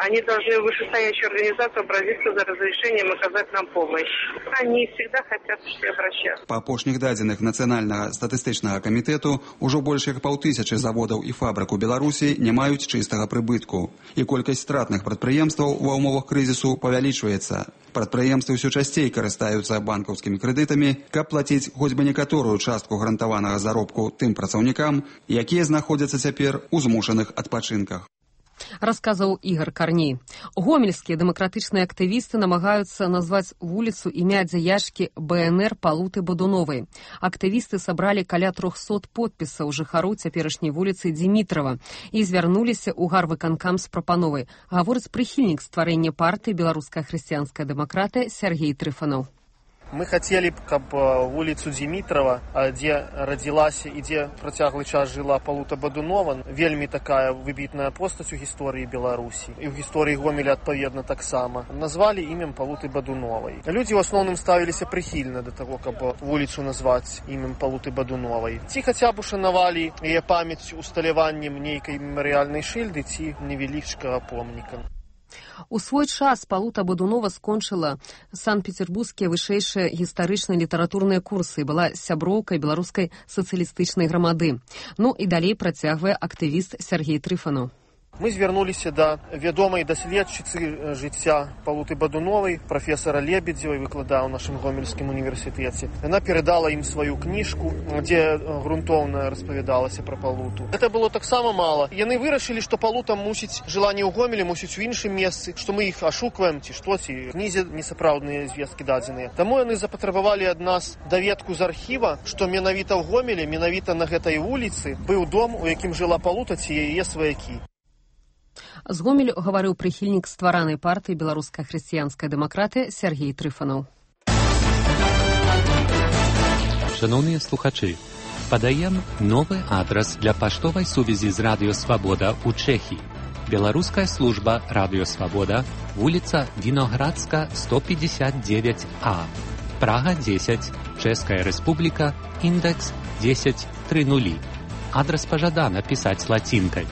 E: Они должны вышестоящую организацию обратиться за разрешением оказать нам помощь. Они всегда хотят все обращаться.
U: По апошніх дадзеных Нацыянальнага статыстычнага камітэту ўжо больш як 5000 заводаў і фабрык у Беларусі не маюць чыстага прыбытку. І колькасць стратных прадпрыемстваў ва ўмовах крызісу павялічваецца. Прадпрыемствы ўсё часцей карыстаюцца банкаўскімі крэдытамі, каб плаціць хоць бы некаторую частку гарантаванага заробку тым працаўнікам, якія знаходзяцца цяпер у змушаных адпачынках.
A: Расказаў Ігор Карней. Гомельскія дэмакратычныя актывісты намагаюцца назваць вуліцу імя дзеячкі БНР Палуты Бадуновай. Актывісты сабралі каля 300 подпісаў жыхароў цяперашняй вуліцы Димитрова і звярнуліся ў гарвыканкам з прапановай. Гаворыць прыхільнік стварэння партыі «Беларуская хрысціянская дэмакратыя» Сергей Трыфанов.
Y: Мы хотели, каб улицу Димитрова, где родилась и где протяглый час жила Палута Бадунова, вельмі такая выбітная постаць у гісторыі Беларусі і ў гісторыі Гомеля адпаведна таксама, назвалі імем Палуты Бадуновай. Людзі ў асноўным ставіліся прыхільна да таго, каб вуліцу назваць імем Палуты Бадуновай. Ці хаця б ушанавалі яе памяць усталяваннем нейкай мемарыяльнай шыльды ці невялічкага помніка.
A: У свой час Палута Бадунова скончыла санкт-петербургскія вышэйшыя гістарычныя літаратурныя курсы і была сяброўкай беларускай сацыялістычнай грамады. Ну і далей працягвае актывіст Сергей Трыфанов.
Y: Мы звярнуліся да вядомай даследчыцы жыцця Палуты Бадуновай, прафесара Лебедзевай, выкладае ў нашым Гомельскім універсітэце. Яна перадала ім сваю кніжку, дзе грунтоўна распавядалася пра Палуту. Гэта было таксама мала. Яны вырашылі, што Палута мусіць жыла не ў Гомелі, мусіць у іншым месцы, што мы іх ашукваем, ці што, ці кнізе несапраўдныя звесткі дадзеныя. Таму яны запатрабавалі ад нас даведку з архіва, што менавіта ў Гомелі, менавіта на гэтай вуліцы быў дом, у якім жыла Палута ці яе сваякі.
A: З Гомелю гаварыў прыхільнік стваранай партыі беларуская хрысціянская дэмакратыя Сергей Трыфанаў.
G: Шановныя слухачы, падаем новы адрас для паштовай сувязі з Радыё Свабода ў Чэхіі. Беларуская служба Радыё Свабода, вуліца Віноградска, 159А, Прага 10, Чэшская Рэспубліка, індекс 1030. Адрас пажадана пісаць лацінкай.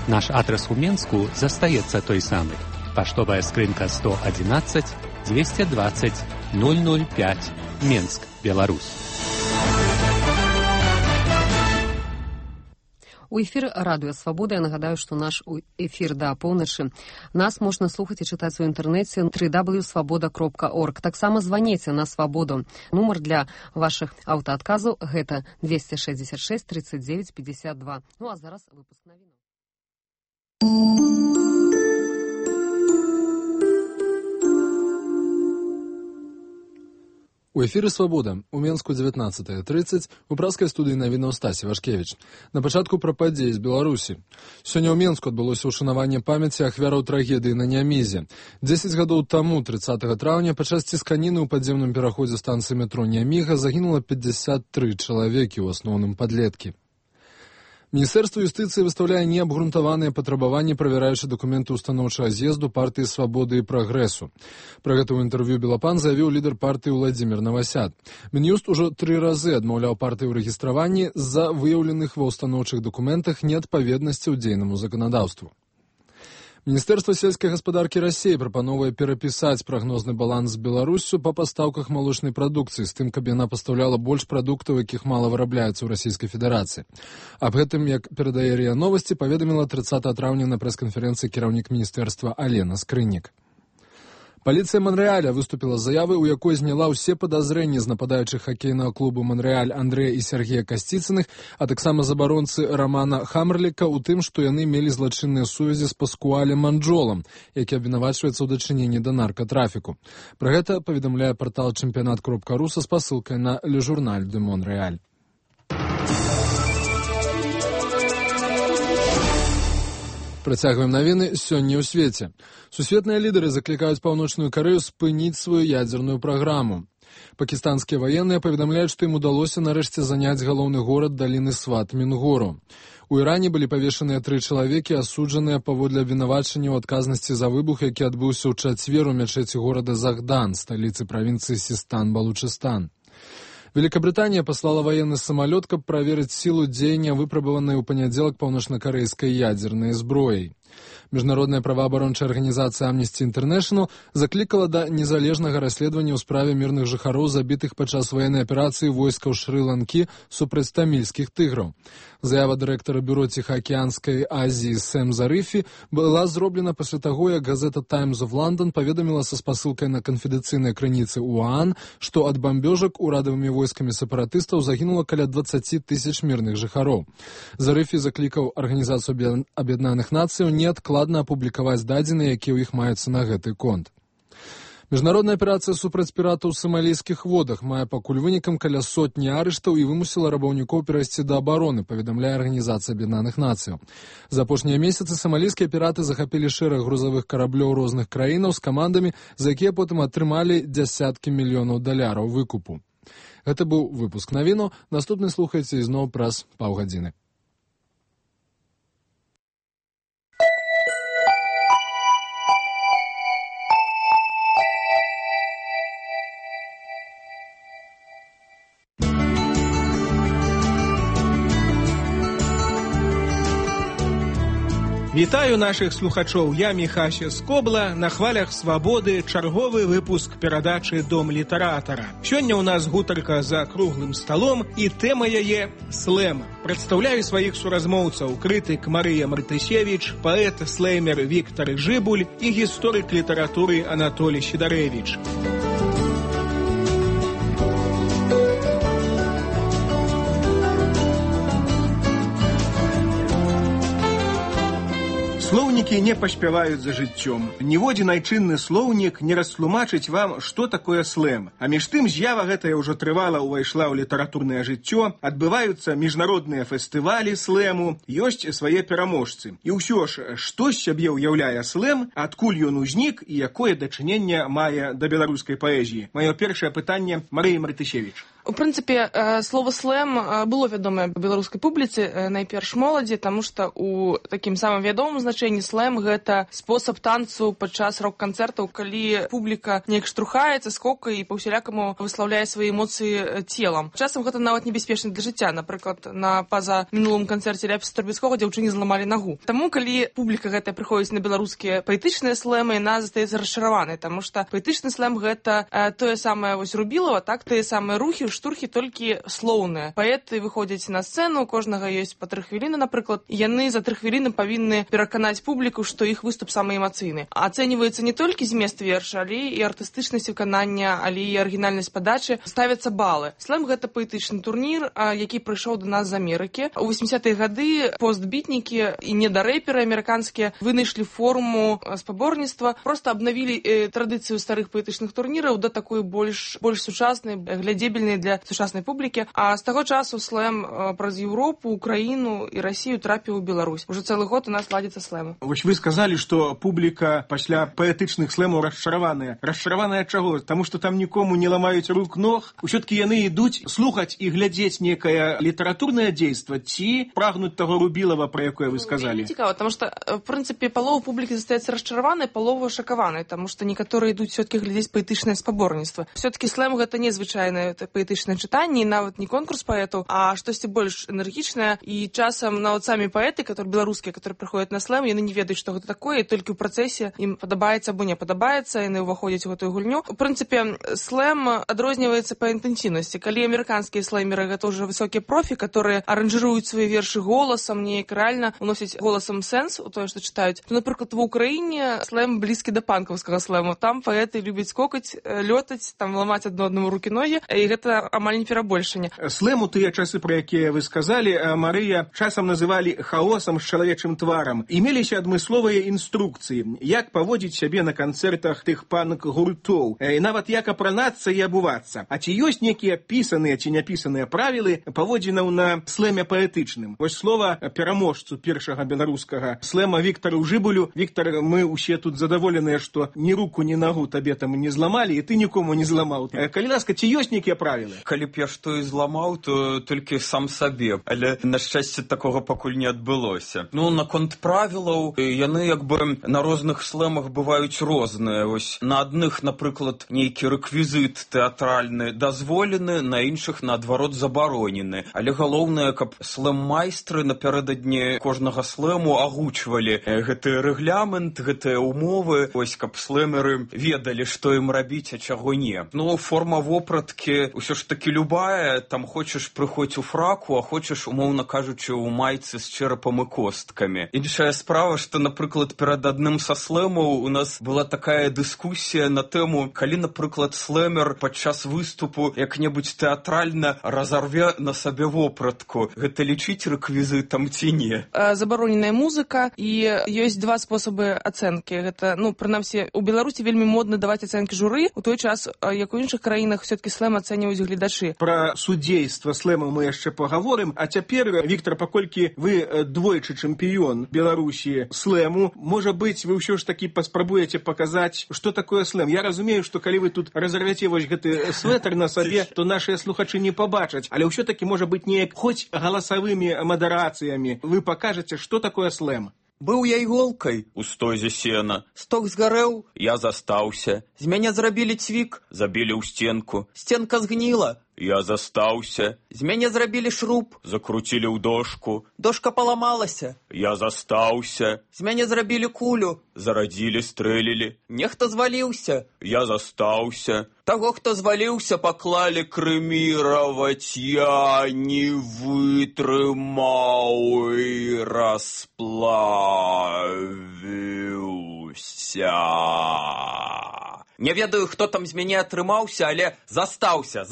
G: Наш адрас у Менску застаецца той самы. Паштовая скрынка 111 220 005, Менск, Беларусь.
A: У эфір Радыё Свабода. Я нагадаю, што наш эфір да поўначы. Нас можна слухаць і чытаць у інтэрнэце www.swaboda.org. Таксама званіце на Свабоду. Нумар для вашых аўтаадказаў гэта 266 39 52. Ну а зараз выпуск навінаў.
H: У эфіры «Свабода» у Менску 19:30, у праскай студыі навінаў Стасі Вашкевіч. На пачатку пра падзеі з Беларусі. Сёння ў Менску адбылося ўшанаванне памяці ахвяраў трагедыі на Нямізе. 10 гадоў таму, 30 траўня, падчас цісканіны ў падземным пераходзе станцыі метро Няміга загінула 53 чалавекі, у асноўным падлеткі. Міністэрства юстыцыі выстаўляе неабгрунтаваныя патрабаванні, правяраючы дакументы устаноўчага з'езду партыі «Свабоды» і «Прагрэсу». Пра гэта ў інтэрв'ю «Белапан» заявіў лідар партыі Уладзімір Навасяд. Мін'юст ужо 3 разы адмаўляў партыі ў рэгістраванні з-за выяўленых ва ўстаноўчых дакументах неадпаведнасцяў дзейнаму заканадаўству. Міністэрства сельскай гаспадаркі Расіі прапановвае перапісаць прагнозны баланс з Беларуссю па пастаўках малочнай прадукцыі з тым, каб яна пастаўляла больш прадуктаў, якіх мала вырабляецца ў Расійскай Федэрацыі. Аб гэтым, як перадае РИА Новасці, паведаміла 30 траўня на прэс-канферэнцыі кіраўнік міністэрства Алена Скрыннік. Паліцыя Монрэаля выступіла з заявай, у якой зняла ўсе падазрэнні з нападаючых хакейнага клубу Монрэаль Андрэя і Сергея Касціцыных, а таксама забаронцы Рамана Хамрліка ў тым, што яны мелі злачынныя сувязі з Паскуалем Манджолам, які абвінавачваецца ў дачыненні да наркатрафіку. Пра гэта паведамляе партал чэмпіянат.ру са спасылкай на Le Journal de Montréal. Працягваем навіны сёння ў свеце. Сусветныя лідары заклікаюць Паўночную Карэю спыніць сваю ядзерную праграму. Пакістанскія ваенныя паведамляюць, што ім удалося нарэшце заняць галоўны горад даліны Сват Мінгору. У Іране былі павешаныя 3 чалавекі, асуджаныя паводле абвінавачання ў адказнасці за выбух, які адбыўся ў чацвер у мячэці горада Захдан, сталіцы правінцыі Систан-Балучыстан. Великобритания послала военный самолет, каб праверыць силу дзеяння выпрабаванай у панядзелак паўночнакарэйскай ядзернай зброяй. Міжнародная праваабарончая арганізацыя Amnesty International заклікала да незалежнага расследавання ў справе мірных жыхароў, забітых падчас военнай аперацыі войскаў Шры-Ланкі супраць тамільскіх тыграў. Заява дырэктара бюро Ціхаакіянскай Азіі Сэм Зарыфі была зроблена пасля таго, як газета Times of London паведаміла са спасылкай на канфідэнцыйныя крыніцы УАН, што ад бамбёжак урадавымі войскамі сепаратыстаў загінула каля 20 тысяч мірных жыхароў. Зарыфі заклікаў Арганізацыю Аб'яднаных Нацыяў неадкладна апублікаваць дадзеныя, якія ў іх маюцца на гэты конт. Міжнародная аперацыя супраць піратаў у самалійскіх водах мае пакуль вынікам каля 100 арыштаў і вымусіла рабаўнікоў перайсці да абароны, паведамляе Арганізацыя Аб'яднаных Нацыяў. За апошнія месяцы самалійскія піраты захапілі шэраг грузавых караблёў розных краінаў з камандамі, за якія потым атрымалі дзясяткі мільёнаў даляраў выкупу. Гэта быў выпуск навіну. Наступны слухайце ізноў праз паўгадзіны.
I: Вітаю нашых слухачоў, я Міхася Скобла, на хвалях Свабоды, чарговы выпуск перадачы «Дом літаратара». Сёння ў нас гутарка за круглым сталом і тэма яе слэм. Прадстаўляю сваіх суразмоўцаў, крытык Марыя Мартысевіч, паэт слэймер Віктар Жыбуль і гісторык літаратуры Анатолій Сідарэвіч. Слоўнікі не паспяваюць за жыццём. Ніводзін айчынны слоўнік не растлумачыць вам, што такое слэм. А між тым з'ява гэтая ўжо трывала ўвайшла ў літаратурнае жыццё, адбываюцца міжнародныя фестывалі слэму, ёсць свае пераможцы. І ўсё ж, што з сябе ўяўляе слэм, адкуль ён узнік і якое дачыненне мае да беларускай паэзіі? Маё першае пытанне Марыі Мартышевіч.
J: У прынцыпе, слова слэм было вядомае беларускай публіцы, найперш моладзі, таму што у такім самым вядомым значэнні слэм гэта спосаб танцу падчас рок-канцэртаў, калі публіка неяк штурхаецца, скокае і па-усялякаму выслаўляе свае эмоцыі целам. Часам гэта нават небяспечна для жыцця. Напрыклад, на пазамінулым канцэрце Ляпіса Трубецкога дзяўчыне зламалі нагу. Таму, калі публіка гэтая прыходзіць на беларускія паэтычныя слэмы, яна застаецца расчараванай, таму што паэтычны слэм гэта тое самае вось Рубілава, так, тыя самыя рухі, штурхі толькі слоўныя. Паэты выходзяць на сцэну, у кожнага ёсць па 3 хвіліны, напрыклад, яны за 3 хвіліны павінны пераканаць публіку, што іх выступ самы эмацыйны. Ацэньваецца не толькі змест верша, але і артыстычнасць выканання, але і арыгінальнасць падачы, ставяцца балы. Слэм гэта паэтычны турнір, які прыйшоў да нас з Амерыкі. У 80-е гады постбітнікі і недарэперы амерыканскія вынайшлі форму спаборніцтва, проста абнавілі традыцыю старых паэтычных турніраў да такой больш сучаснай, глядзебельнай для сучаснай публікі. А з таго часу слэм праз Еўропу, Украіну і Расію трапіў у Беларусь. Уже цэлы год у нас ладзіцца слэм.
I: Вось вы сказалі, што публіка пасля паэтычных слэмаў расчараваная. Расчараваная чаго? Таму што там нікому не ламаюць рук ног. Усё-ткі яны ідуць слухаць і глядзець некае літаратурнае дзейства ці прагнуць таго Рубілава, пра якое вы сказалі?
J: Цікава, таму што в прынцыпе палова публікі застаецца расчараванай, палова шакаванай, таму што некаторыя ідуць все-таки глядзець паэтычнае спаборніцтва. Все-таки слэм гэта незвычайнае паэтычнае чытанне, нават не конкурс паэтаў, а штосьці больш энергічнае. І часам нават самі паэты, беларускія, которые прыходзяць на слэм, яны не ведаюць, што гэта такое, і толькі ў працэсе ім падабаецца або не падабаецца, яны ўваходзяць у гэтую гульню. У прынцыпе, слэм адрозніваецца па інтэнсіўнасці. Калі амерыканскія слэмеры гэта ўжо высокія профі, которые аранжируюць свае вершы голасам, неяк рэальна уносяць голасам сэнс у тое, што чытаюць. То, напрыклад, ва Ўкраіне слэм блізкі да панкаўскага слэму. Там паэты любяць скокаць, лётаць, там ламаць адно-аднаму рукі-ногі, і гэта амаль не перабольшанне.
I: Слэм у тыя часы, пра якія вы сказалі, Марыя, часам называлі хаосам з чалавечым тварам. Імеліся адмысловыя інструкцыі, як паводзіць сябе на канцэртах тых панк-гуртоў, і нават як апранацца і абувацца. А ці ёсць некія пісаныя ці няпісаныя правілы паводзінаў на слэме паэтычным? Вось слова пераможцу першага беларускага слэма Віктару Жыбулю. Віктар, мы ўсе тут задаволеныя, што ні руку, ні нагу табе там не зламалі, і ты нікому не зламаў. Калі ласка, ці ёсць нейкія правілы?
K: Калі б я што і зламаў, то толькі сам сабе, але, на шчасце, такога пакуль не адбылося. Наконт правілаў, яны як бы на розных слэмах бываюць розныя. Вось на адных, напрыклад, нейкі рэквізіт тэатральны дазволены, на іншых, наадварот, забаронены. Але галоўнае, каб слэм-майстры напярэдадні кожнага слэму агучвалі гэты рэгламент, гэтыя умовы, вось каб слэмеры ведалі, што ім рабіць, а чаго не. Форма вопраткі ўсё ж такі любая, там хочаш прыходзь у фраку, а хочаш, умоўна кажучы, у майцы з чэрапам і косткамі. Іншая справа, што, напрыклад, перад адным са слэмаў у нас была такая дыскусія на тэму, калі, напрыклад, слэмер падчас выступу як-небудзь тэатральна разарве на сабе вопратку. Гэта лічыць рэквізітам ці не?
J: Забароненая музыка, і ёсць два спосабы ацэнкі. Гэта, прынамсі, у Беларусі вельмі модна даваць ацэнкі журы, у той час, як у іншых краінах, все-таки слэм ацэньваюць гледачы.
I: Пра судзейства слэму мы яшчэ пагаворым, а цяпер, Віктар, паколькі вы двойчы чэмпіён Беларусі слэму, можа быць, вы ўсё ж такі паспрабуеце паказаць, што такое слэм. Я разумею, што калі вы тут разарвяце вось гэты свэтар на сабе, то нашыя слухачы не пабачаць, але ўсё-такі можа быць неяк хоць галасавымі мадарацыямі вы пакажаце, што такое слэм.
K: Быў я іголкай у стозе сена. Сток згарэў, я застаўся. З мяне зрабілі цвік, забілі ў стенку. Стенка згніла, я застаўся. З мяне зрабілі шруб, закруцілі ў дошку. Дошка паламалася, я застаўся. З мяне зрабілі кулю, зарадзілі, стрэлілі. Нехта зваліўся, я застаўся. Таго, хто зваліўся, паклалі крэміраваць, я не вытрымаў і расплавіўся. Не ведаю, хто там з мяне атрымаўся, але застаўся.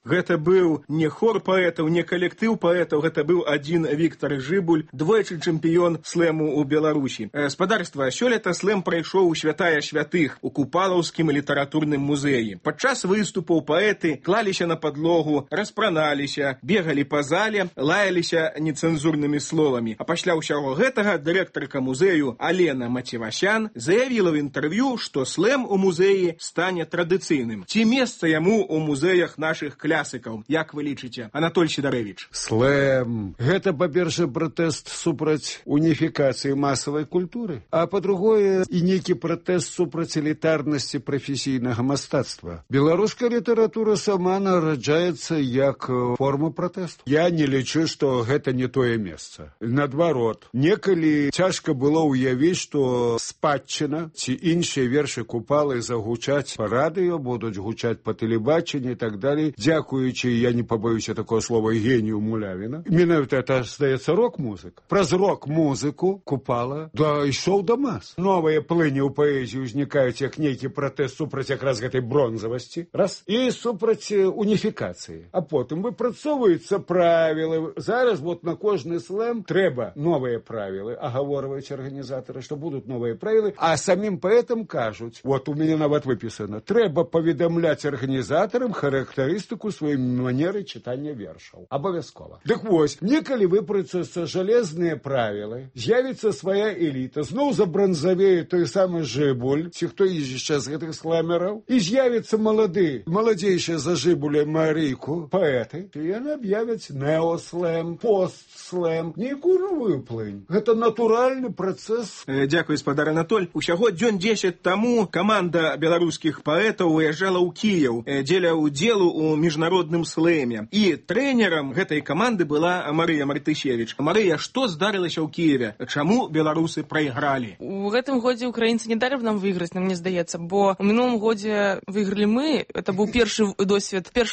I: Гэта быў не хор паэтаў, не калектыў паэтаў, гэта быў адзін Віктар Жыбуль, двойчы чэмпіён слэму ў Беларусі. Спадарства, сёлета слэм прайшоў у святая святых у Купалаўскім літаратурным музеі. Падчас выступаў паэты клаліся на падлогу, распраналіся, бегалі па зале, лаяліся нецэнзурнымі словамі. А пасля ўсяго гэтага дырэктарка музею Алена Мацевасян заявіла ў інтэрв'ю, што слэм у музеі стане традыцыйным. Ці месца яму ў музеях нашых клясыкаў? Як вы лічыце, Анатоль Сідарэвіч?
F: Слэм. Гэта, па-першае, пратэст супраць уніфікацыі масавай культуры, а па-другое, і нейкі пратэст супраць элітарнасці прафесійнага мастацтва. Беларуская літаратура сама нараджаецца як форма пратэсту. Я не лічу, што гэта не тое месца. Наадварот, некалі цяжка было ўявіць, што спадчына ці іншыя вершы Купалы загучаць па радыё, будуць гучаць па тэлебачанні і так далей. Дзякуючы, я не побоюся такого слова, генію Мулявіна. Менавіта это, здаецца, рок-музыка. Праз рок-музыку Купала ішоў да мас. Новыя плыні ў паэзіі ўзнікаюць як нейкі пратэст супраць якраз гэтай бронзавасці. Раз. І супраць уніфікацыі. А потым выпрацоўваюцца правілы. Зараз вот на кожны слэм трэба новыя правілы. Агаворваюць арганізатары, што будуць новыя правілы. А самім паэтам кажуць, вот у мяне нават выпісана, трэба паведамляць арганізатарам характарыстыку сваёй манеры чытання вершаў. Абавязкова. Дык вось, некалі выпрацуюцца жалезныя правілы, з'явіцца свая эліта, зноў забранзавее той самы Жыбуль, ці хто яшчэ з гэтых слэмераў, і з'явіцца маладзейшая за Жыбуля Марыйку, паэты, і яны аб'явяць неослэм, постслэм, нейкую новую плынь. Гэта натуральны працэс.
I: Дзякуй, спадар Анатоль. Усяго дзён 10 таму каманда беларускіх паэтаў выязджала ў Кіеў дзеля ўдзелу ў міжнародным слэме. І трэнерам гэтай каманды была Марыя Мартысевіч. Марыя, што здарылася ў Кіеве? Чаму беларусы прайгралі?
J: У гэтым годзе украінцы не далі б нам выйграць, нам мне здаецца, бо ў мінулым годзе выйгралі мы. Это быў першы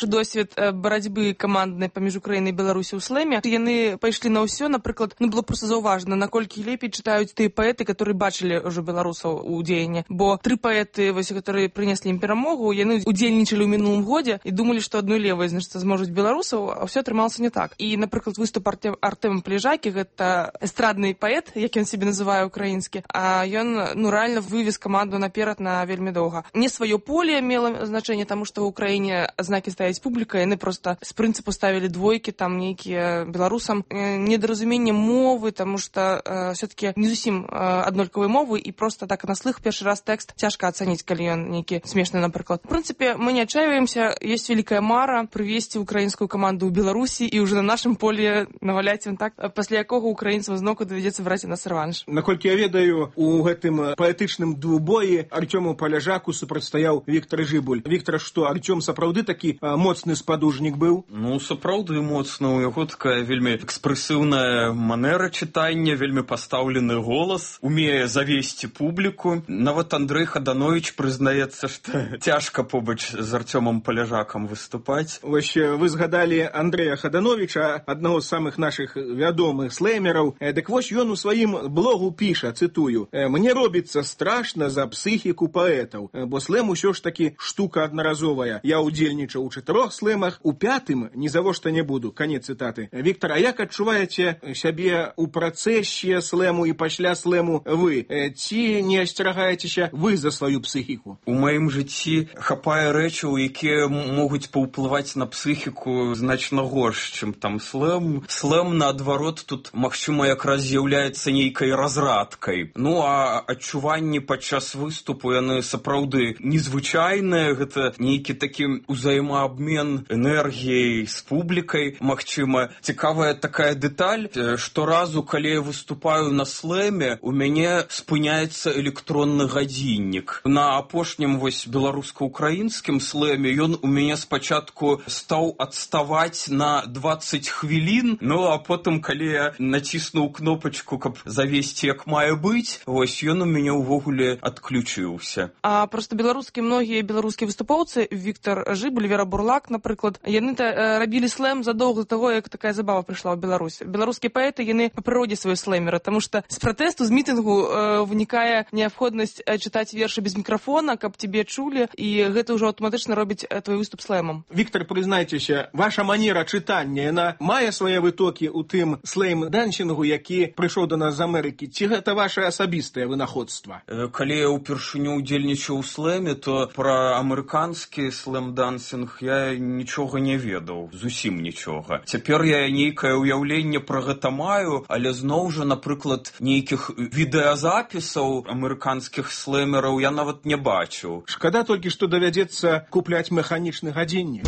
J: досвед барацьбы каманднай паміж Украінай і Беларусі ў слэме. Яны пайшлі на ўсё, напрыклад, было проста заўважна, наколькі лепей чытаюць тыя паэты, которые бачылі ўжо беларусаў у дзеянні. Бо 3 паэты, которые прынеслі ім перамогу, яны удзельнічалі ў мінулым годзе і думалі, што адной левай, значыць, зможуць беларусаў, а ўсё атрымалася не так. І, напрыклад, выступ Артэма Плежакі, гэта эстрадны паэт, як ён сябе называе украінскі, а ён, рэальна вывез каманду наперад на вельмі доўга. Не сваё поле мела значэнне, таму што ў Украіне знакі ставіць публіка, яны проста з прынцыпу ставілі двойкі, там нейкія беларусам. Недаразуменне мовы, таму што все-таки не зусім аднолькавыя мовы, і проста так на слых першы раз тэкст цяжка ацаніць, калі ён нейкі смешны, напрыклад. В прынцыпе, мы не отчаиваемся, есть великая мара прывесці украінскую каманду ў Беларусі і ўжо на нашым поле наваляць ім так, пасля якога украінцам зноўку давядзецца браць у нас рэванш.
I: Наколькі я ведаю, у гэтым паэтычным двубоі Артёму Паляжаку супрацьстаяў Віктар Жыбуль. Віктар, што Артём сапраўды такі моцны спадужнік быў?
K: Ну, сапраўды моцны. У яго такая вельмі экспрэсіўная манера чытання, вельмі пастаўлены голас, умее завесці публіку. Нават Андрэй Хаданович прызнаецца, што цяжка побач з Артёмам Паляжакам выступаць.
I: Вось вы згадалі Андрэя Хадановича, аднаго з самых нашых вядомых слэмераў. Дык вось ён у сваім блогу піша, цытую: «Мне робіцца страшна за псіхіку паэтаў, бо слэм усё ж такі штука аднаразовая. Я удзельнічаў у 4 слэмах, у 5-м ні завошта не буду». Канец цытаты. Віктар, а як адчуваеце сябе ў працэсе слэму і пасля слэму вы? Ці не асцерагаецеся вы за сваю псіхіку?
K: У маім жыцці хапае рэчаў, якія могуць паўплываць на псіхіку значна горш, чым там слэм. Слэм, наадварот, тут, магчыма, якраз з'яўляецца нейкай разрадкай. Ну, а адчуванні падчас выступу, яны сапраўды незвычайныя. Гэта нейкі такі ўзаемаабмен энергіяй з публікай. Магчыма, цікавая такая дэталь, што разу, калі я выступаю на слэме, у мяне спыняецца электронны гадзіннік. На апошнім вось беларуска-украінскім слэме ён у мяне спачатку стаў адставаць на 20 хвілін, ну а потым, калі я націснуў кнопачку, каб завесці як мае быць, вось ён у мяне ўвогуле адключыўся.
J: А проста многія беларускія выступоўцы, Віктар Жыбуль, Вера Бурлак, напрыклад, яны рабілі слэм задоўга да таго, як такая забава прыйшла ў Беларусь. Беларускія паэты, яны па прыродзе сваёй слэмеры, таму што з пратэсту, з мітынгу вынікае неабходнасць неабходнасць чытаць вершы без мікрафона, каб тебе чулі, і гэта ўжо аўтаматычна робіць твой выступ слэмам.
I: Віктор, прызнайцеся, ваша манера чытання, яна мае свае вытокі ў тым слэйм-дансінгу, які прыйшоў до нас з Амерыкі, ці гэта ваше асабістае вынаходства?
K: Калі я ўпершыню удзельнічаў у слэме, то пра амерыканскі слэм-дансінг я нічога не ведаў, зусім нічога. Цяпер я нейкае ўяўленне пра гэта маю, але зноў жа, напрыклад, нейкіх відэазапісаў амерыканскіх слэмераў я нават не бачыў.
I: Шкада толькі, што давядзецца купляць механічны гадзіннік.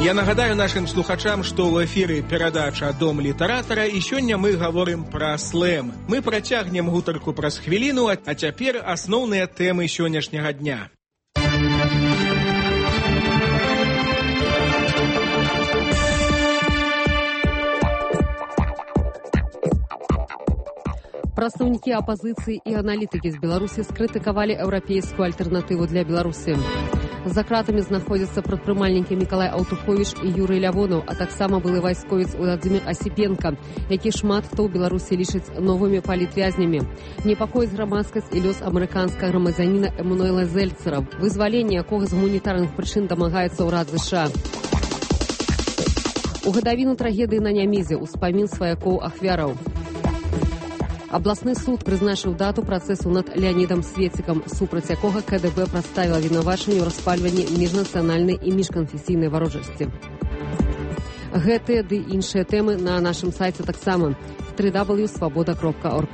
I: Я нагадаю нашим слухачам, што ў эфіры перадача «Дом літаратара», і сёння мы гаворым пра слэм. Мы працягнем гутарку праз хвіліну, а цяпер асноўныя тэмы сённяшняга дня.
A: Прадстаўнікі апазіцыі і аналітыкі з Беларусі скрытыкавалі еўрапейскую альтэрнатыву для Беларусі. За кратамі знаходзяцца прадпрымальнікі Мікалай Аўтуховіч і Юрый Лявонаў, а таксама былы вайсковец Владзімір Асіпенка, які шмат хто ў Беларусі лічыць новымі палітвязнямі. Непакоіць грамадскасць і лёс амерыканскага грамадзяніна Эмануэла Зельцера, вызваленне якога з гуманітарных прычын дамагаецца ўрад ЗША. У гадавіну трагедыі на Нямезе ўспамін сваякоў ахвяраў. Абласны суд прызначыў дату працэсу над Леанідам Светцікам, супраць якога КДБ прадставіла вінавачанне ў распальванні міжнацыянальнай і міжканфесійнай варожасці. Гэтыя ды іншыя тэмы на нашым сайце таксама www.svoboda.org.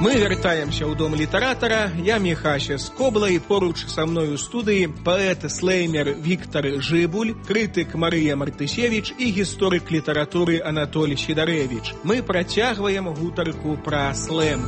I: Мы вяртаемся ў дом літаратара. Я Міхася Скобла, і поруч са мною ў студыі паэт-слэймер Віктар Жыбуль, крытык Марыя Мартысевіч і гісторык літаратуры Анатоль Сідарэвіч. Мы працягваем гутарку пра слэм.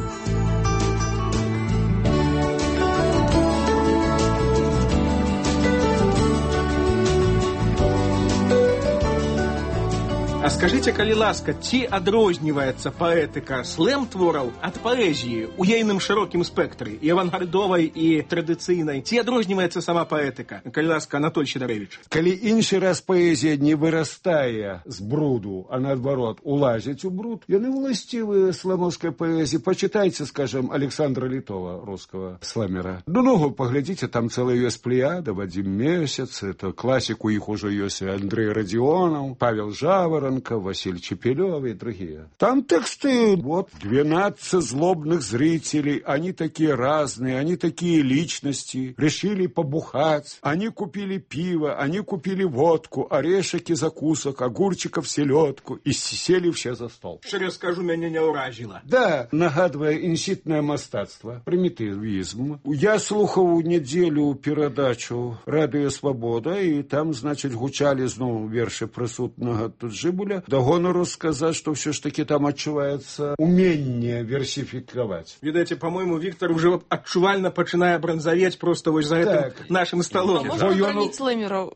I: А скажите, калі ласка, ці адрозніваецца паэтыка слэм-твораў ад паэзіі ў ейным шырокім спектры, і авангардовай, і традыцыйнай? Ці адрозніваецца сама паэтыка? Калі ласка, Анатоль Сідарэвіч.
F: Калі іншы раз паэзія не вырастае з бруду, а наадварот улазіць у бруд, яны уласцівыя слэмаўскай паэзіі. Пачытайце, скажем, Александра Літова, рускага слэмера. Ну, паглядзіце, там цэлая ёсць плеяда, Вадзім Месяц, это класік, у іх ужо ёсць Андрей Радзіонаў, Павел Жаворонков, Василий Чепелев и другие. Там тексты, вот, 12 злобных зрителей, они такие разные, они такие личности, решили побухать, они купили пиво, они купили водку, орешек и закусок, огурчиков, селедку, и сели все за стол.
I: Шчыра скажу, мяне не ўражила.
F: Да, нагадывая інсітнае мастацтва, примитивизм. Я слухаў недзелю перадачу «Радыё Свабода», и там, значит, гучали зноў вершы прысутнага тут Жыбуля. Да гонору сказать, что все ж таки там отчувается умение версификовать.
I: Видите, по-моему, Виктор уже отчувально начинает бронзоветь просто вот за этим нашим столом.
J: Можно обронить слэмеров?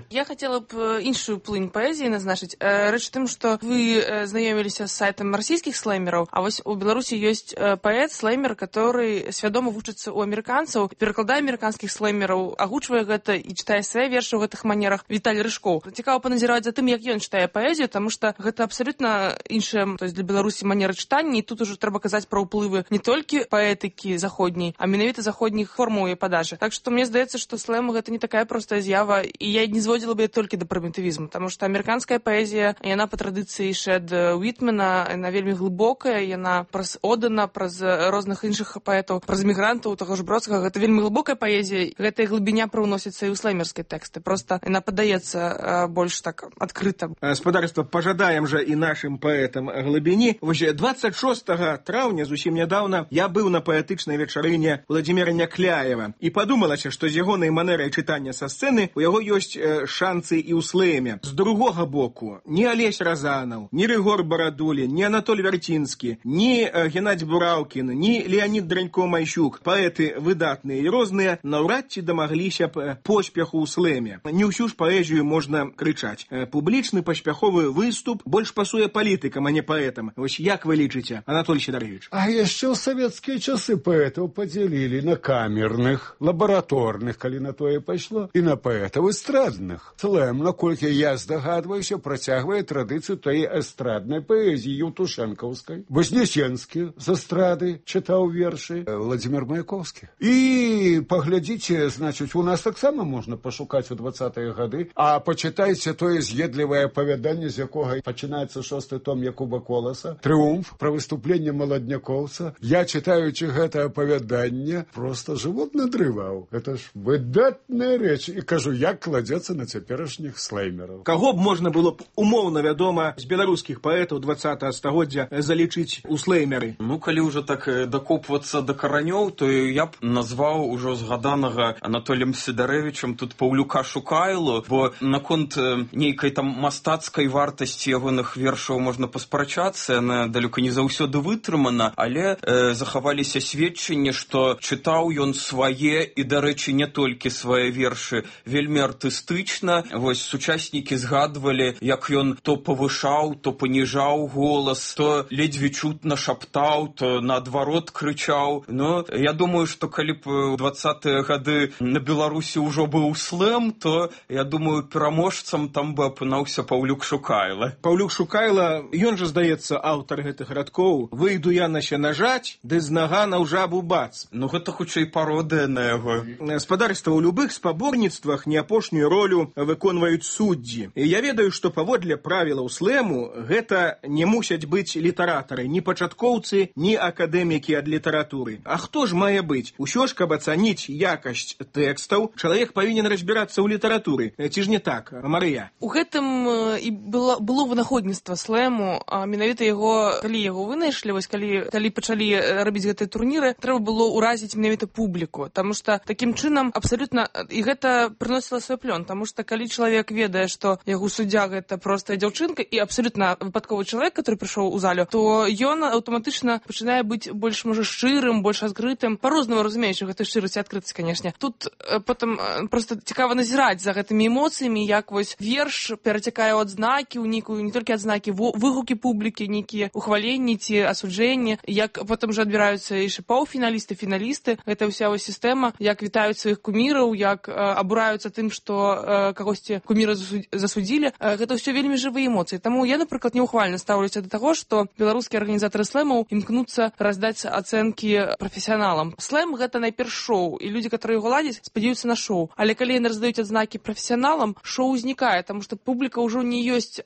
J: Я хотела бы іншую плынь поэзии назначить. Речь в том, что вы знакомились с сайтом российских слэмеров, а вот у Беларуси есть поэт-слэмер, который свядома вучыцца у американцев, перекладае американских слэмеров, агучвае гэта и читае свои вершы ў гэтых манерах. Виталий Рыжков. Цікава паназіраваць за тым, як ён читае паэзію, потому что гэта абсолютно іншая, то есть для Беларусі манера чытання, і тут уже трэба казаць про ўплывы не толькі паэтыкі заходняй, а менавіта заходніх формаў і падажы. Так что мне здаецца, что слэм гэта не такая простая з'ява, і я не зводзіла бы толькі да прымітывізму, потому что амерыканская паэзія, яна па традыцыі Шэд Уітмена, яна вельмі глыбокая, яна праз Одена, праз розных іншых паэтаў, праз мігрантаў, таго ж Бродскага, гэта вельмі глыбокая паэзія, гэтая глыбіня прыўносіцца і ў слэмерскай тэксты, просто яна падаецца больш так адкрыта.
I: Спадарства, пожадаем же и нашим поэтам глыбіні. 26 траўня, зусім нядаўна, я быў на паэтычнай вечарыне Владзіміра Някляева і падумалася, што з ягонай манерай чытання са сцэны у яго ёсць шанцы і ў слэме. З другога боку, ні Алесь Разанаў, ні Рыгор Барадулін, ні Анатоль Вярцінскі, ні Геннадзь Бураўкін, ні Леанід Дранько-Майсюк, паэты выдатныя і розныя, наўрад ці дамагліся б поспеху ў слэме. Не ўсю ж паэзію можна крычаць. Публічны паспяховы выступ больш пасуе палітыкам, а не паэтам. Вось як вы лічыце, Анатолий Сидорович?
F: А яшчэ ў савецкія часы паэтаў падзялілі на камерных, лабараторных, калі на тое пайшло, і на паэтаў эстрадных. Слэм, наколькі я здагадваюся, працягвае традыцыю той эстраднай паэзіі еўтушэнкаўскай. Вознесенскі з эстрады чытаў вершы, Владимир Маяковскі. І паглядзіце, значыць, у нас таксама можна пашукаць у 20-е гады, а пачытайце тое з'едлівае апавяданне, з якога пачынаецца 6-й том Якуба Коласа, «Трыумф», пра выступленне маладнякоўца. Я, чытаючы гэта апавяданне, проста жывот надрываў. Гэта ж выдатная рэч. І кажу, як кладзецца на цяперашніх слэймераў.
I: Каго б можна было б умоўна, вядома, з беларускіх паэтаў 20-го стагоддзя залічыць у слэймеры?
K: Ну, калі ўжо так дакопвацца да каранёў, то я б назваў ужо згаданага Анатоліем Сідарэвічам тут Паўлюка Шукайлу, бо наконт нейкай там мастацкай вартасці ягоных вершаў можна паспрачацца, яна далёка не заўсёды вытрымана, але захаваліся сведчанні, што чытаў ён свае і, дарэчы, не толькі свае вершы вельмі артыстычна. Вось сучаснікі згадвалі, як ён то павышаў, то паніжаў голас, то ледзьве чутна шаптаў, то наадварот крычаў. Ну, я думаю, што калі б у 20-е гады на Беларусі ўжо быў слэм, то, я думаю, пераможцам там бы апынаўся Паўлюк Шукайла.
I: Паўлюк Шукайла, ён жа, здаецца, аўтар гэтых радкоў. «Выйду я на сенажаць, ды з нагана ў жабу бац».
K: Ну, гэта хутчэй пародыя на яго.
I: Спадарства, ў любых спаборніцтвах не апошнюю ролю выконваюць суддзі. І я ведаю, што паводле правілаў слэму гэта не мусяць быць літаратары, ні пачаткоўцы, ні акадэмікі ад літаратуры. А хто ж мае быць? Усё ж, каб ацаніць якасць тэкстаў, чалавек павінен разбірацца ў літаратуры. Ці ж не так, Марыя?
J: У гэтым і было вынаходніцтва слэму, а менавіта яго, калі яго вынайшлі, вось калі пачалі рабіць гэтыя турніры, трэба было ўразіць менавіта публіку, таму што такім чынам абсалютна, і гэта прыносіла свой плён, таму што калі чалавек ведае, што яго суддзя гэта простая дзяўчынка і абсалютна выпадковы чалавек, который прыйшоў у залю, то ён аўтаматычна пачынае быць больш, можа, шчырым, больш адкрытым, па-рознаму разумеючы гэта шчырасць і адкрытасць, канешне. Тут потым проста цікава назіраць за гэтымі эмоцыямі, як вось верш перацякае ў адзнакі, у нейкую не толькі адзнакі, выгукі публікі, нейкія ухваленні ці асуджэнні, як потым жа адбіраюцца і паўфіналісты, фіналісты. Гэта ўся вось сістэма, як вітаюць сваіх куміраў, як абураюцца тым, што кагосьці куміра засудзілі. Гэта ўсё вельмі жывыя эмоцыі. Таму я, напрыклад, неухвальна стаўлюся да таго, што беларускія арганізатары слэмаў імкнуцца раздаць ацэнкі прафесіяналам. Слэм гэта найперш шоу, і людзі, которые яго ладзяць, спадзяюцца на шоу. Але калі яны раздаюць адзнакі прафесіяналам, шоу узнікае, таму што публіка ўжо не ёсць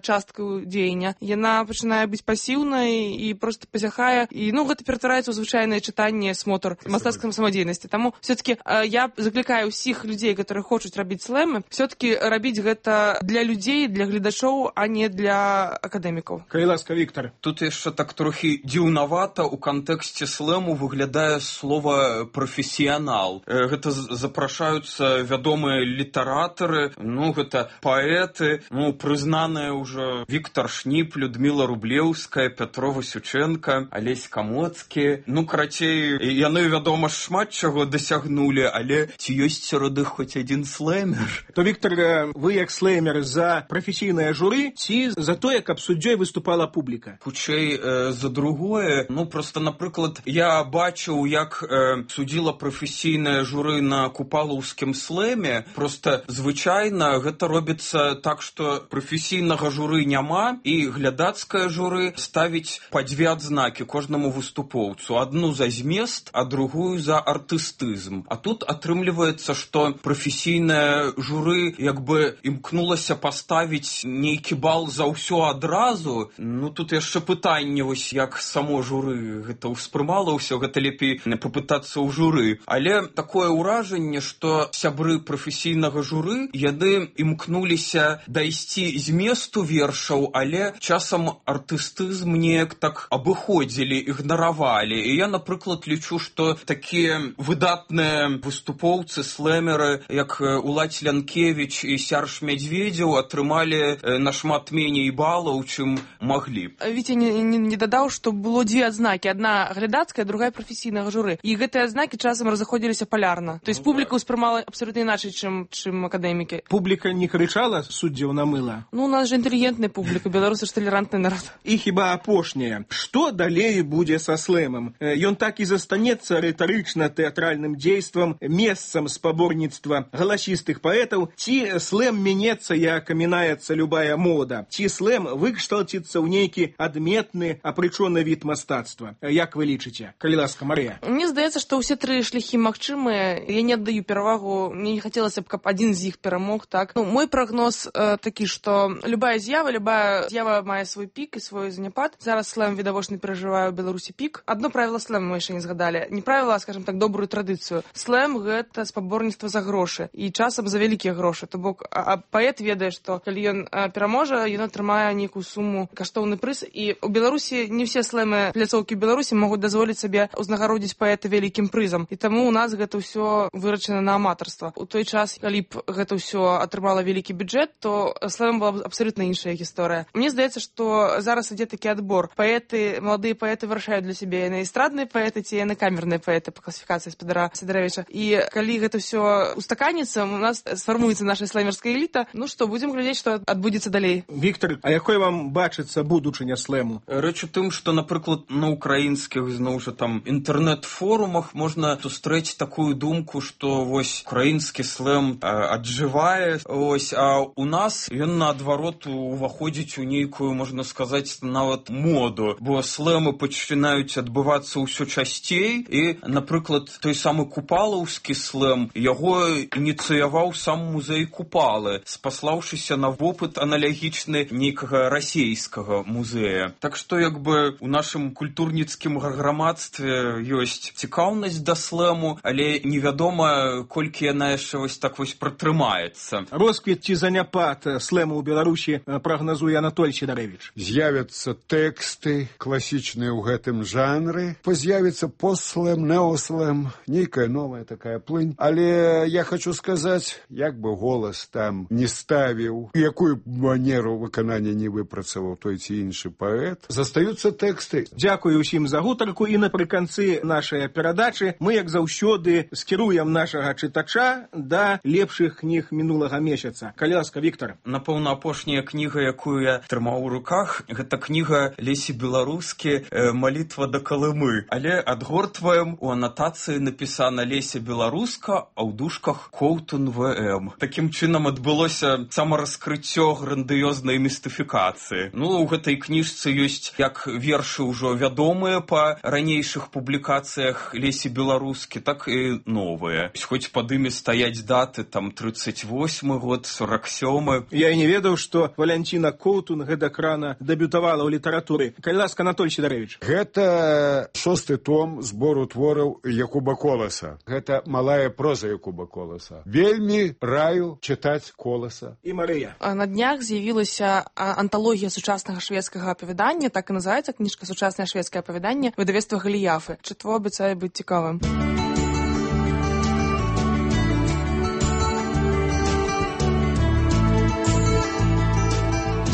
J: часткаю дзеяння. Яна пачынае быць пасіўнай і проста пазяхае. І гэта ператвараецца ў звычайнае чытанне, смотр мастацкай самадзейнасці. Таму все-таки я заклікаю ўсіх людзей, которые хочуць рабіць слэмы, все-таки рабіць гэта для людзей, для гледачоў, а не для акадэмікаў.
I: Калі ласка, Віктор.
K: Тут яшчэ так трохі дзіўнавата ў кантэксце слэму выглядае слова прафесіянал. Гэта запрашаюцца вядомыя літаратары, гэта паэты, прызнаныя ўжо Віктор Шніп, Людміла Рублеўская, Пятро Васюченка, Алесь Камоцкі. Карацей, яны, вядома, шмат чаго дасягнулі, але ці ёсць сярод іх хоць адзін слэмер?
I: То, Віктор, вы як слэмер за прафесійнае журы ці за тое, каб суддзёй выступала публіка?
K: Хутчэй за другое. Проста, напрыклад, я бачыў, як судзіла прафесійнае журы на купалаўскім слэме. Проста звычайна гэта робіцца так, што прафесійнага журы няма, і глядацкае журы ставіць па 2 адзнакі кожнаму выступоўцу. Адну за змест, а другую за артыстызм. А тут атрымліваецца, што прафесійнае журы як бы імкнулася паставіць нейкі бал за ўсё адразу. Тут яшчэ пытанне, вось як само журы гэта ўспрымала ўсё, гэта лепей папытацца ў журы. Але такое ўражанне, што сябры прафесійнага журы, яны імкнуліся дайсці зместу вершаў, але часам артыстызм неяк так абыходзілі, ігнаравалі. І я, напрыклад, лічу, што такія выдатныя выступоўцы, слэмеры, як Уладзь Лянкевіч і Сярж Мядзведзеў, атрымалі нашмат меней балаў, чым маглі.
J: Віця не дадаў, што было 2 адзнакі. Адна глядацкая, другая прафесійнага журы. І гэтыя адзнакі часам разыходзіліся палярна. То есть публіка ўспрымала абсалютна іначай, чым акадэмікі.
I: Публіка не крычала суддзяў на мыла?
J: Ну, у нас же інтэлігентная публіка, беларусы ж талерантны народ.
I: І хіба апошняе. Што далей будзе са слэмам? Ён так і застанецца рытарычна-тэатральным дзействам, месцам спаборніцтва галасістых паэтаў, ці слэм менецца, як мінаецца любая мода, ці слэм выкшталціцца ў нейкі адметны, апрычоны від мастацтва. Як вы лічыце? Калі ласка, Марыя.
J: Мне здаецца, што ўсе тры шляхі магчымыя. Я не аддаю перавагу, мне не хацелася б, каб адзін з іх перамог, так? Ну, мой прагноз такі, што любая з'ява мае свой пік і свой заняпад. Зараз слэм відавочна перажывае ў Беларусі пік. Адно правіла слэма мы яшчэ не згадалі. Не правіла, скажем так, добрую традыцыю. Слэм гэта спаборніцтва за грошы. І часам за вялікія грошы. То бок, паэт ведае, што калі ён пераможа, ён атрымае нейкую суму, каштоўны прыз. І ў Беларусі не ўсе слэмы пляцоўкі ў Беларусі могуць дазволіць сабе узнагародзіць паэта вялікім прызам. І таму у нас гэта ўсё вырачана на аматарства. У той час, калі б гэта ўсё атрымала вялікі бюджэт, то слэм была б абсалютна іншая гісторыя. Мне здаецца, што зараз ідзе такі адбор. Паэты, маладыя паэты вырашаюць для сябе яны эстрадныя паэты ці яны камерныя паэты па класіфікацыі спадара Сідаравіча. І калі гэта ўсё устаканіцца, у нас сфармуецца наша слэмерская эліта. Ну што, будзем глядзець, што адбудзецца далей.
I: Віктор, а якой вам бачыцца будучыня слэму?
K: Рэч у тым, што, напрыклад, на украінскіх, зноў жа там, інтэрнэт-форумах можна сустрэць такую думку, што вось украінскі слэм аджывае, ось, а у нас ён наадварот уваходзіць у нейкую, можна сказаць, нават моду, бо слэмы пачынаюць адбывацца ўсё часцей, і, напрыклад, той самы купалаўскі слэм, яго ініцыяваў сам музей Купалы, спаслаўшыся на вопыт аналагічны нейкага расейскага музея. Так што, як бы, у нашым культурніцкім грамадстве ёсць цікаўнасць да слэму, але невядома, колькі яна яшчэ вось так вось пратрымаецца.
I: Росквіт ці заняпад слэму ў Беларусі прагназуе Анатоль Сідарэвіч.
F: З'явяцца тэксты класічныя ў гэтым жанры, з'явіцца постслэм, неослэм, нейкая новая такая плынь. Але я хочу сказаць, як бы голас там не ставіў, якую манеру выканання не выпрацаваў той ці іншы паэт, застаюцца тэксты.
I: Дзякую ўсім за гутарку, і напрыканцы нашай перадачы мы, як заўсёды, скіруем нашага чытача да лепшых кніг мінулага месяца. Калі ласка, Віктор.
K: Напэўна, апошняя кніга, якую я трымаў у руках, гэта кніга Лесі Беларускі «Малітва да Калымы». Але адгортваем, у анатацыі напісана Леся Беларуска, а ў дужках Коўтун ВМ. Такім чынам адбылося самараскрыццё грандыёзнай містыфікацыі. Ну, у гэтай кніжцы ёсць як вершы ўжо вядомыя па ранейшых публікацыях Лесі Беларускі, так і новыя. Хоць пад імі стаяць даты, там, 38 год, 47.
I: Я і не ведаў, што Валянціна Коўтун гэтак рана дэбютавала ў літаратуры. Калі ласка, Анатоль Сідарэвіч.
F: Гэта 6-й том збору твораў Якуба Коласа. Гэта малая проза Якуба Коласа. Вельмі раю чытаць Коласа.
I: І Марыя.
J: На днях з'явілася анталогія сучаснага шведскага апавядання, так і называецца кніжка «Сучаснае шведскае апавяданне» выдавецтва Галіяфы. Чытво абяцае быць цікавым.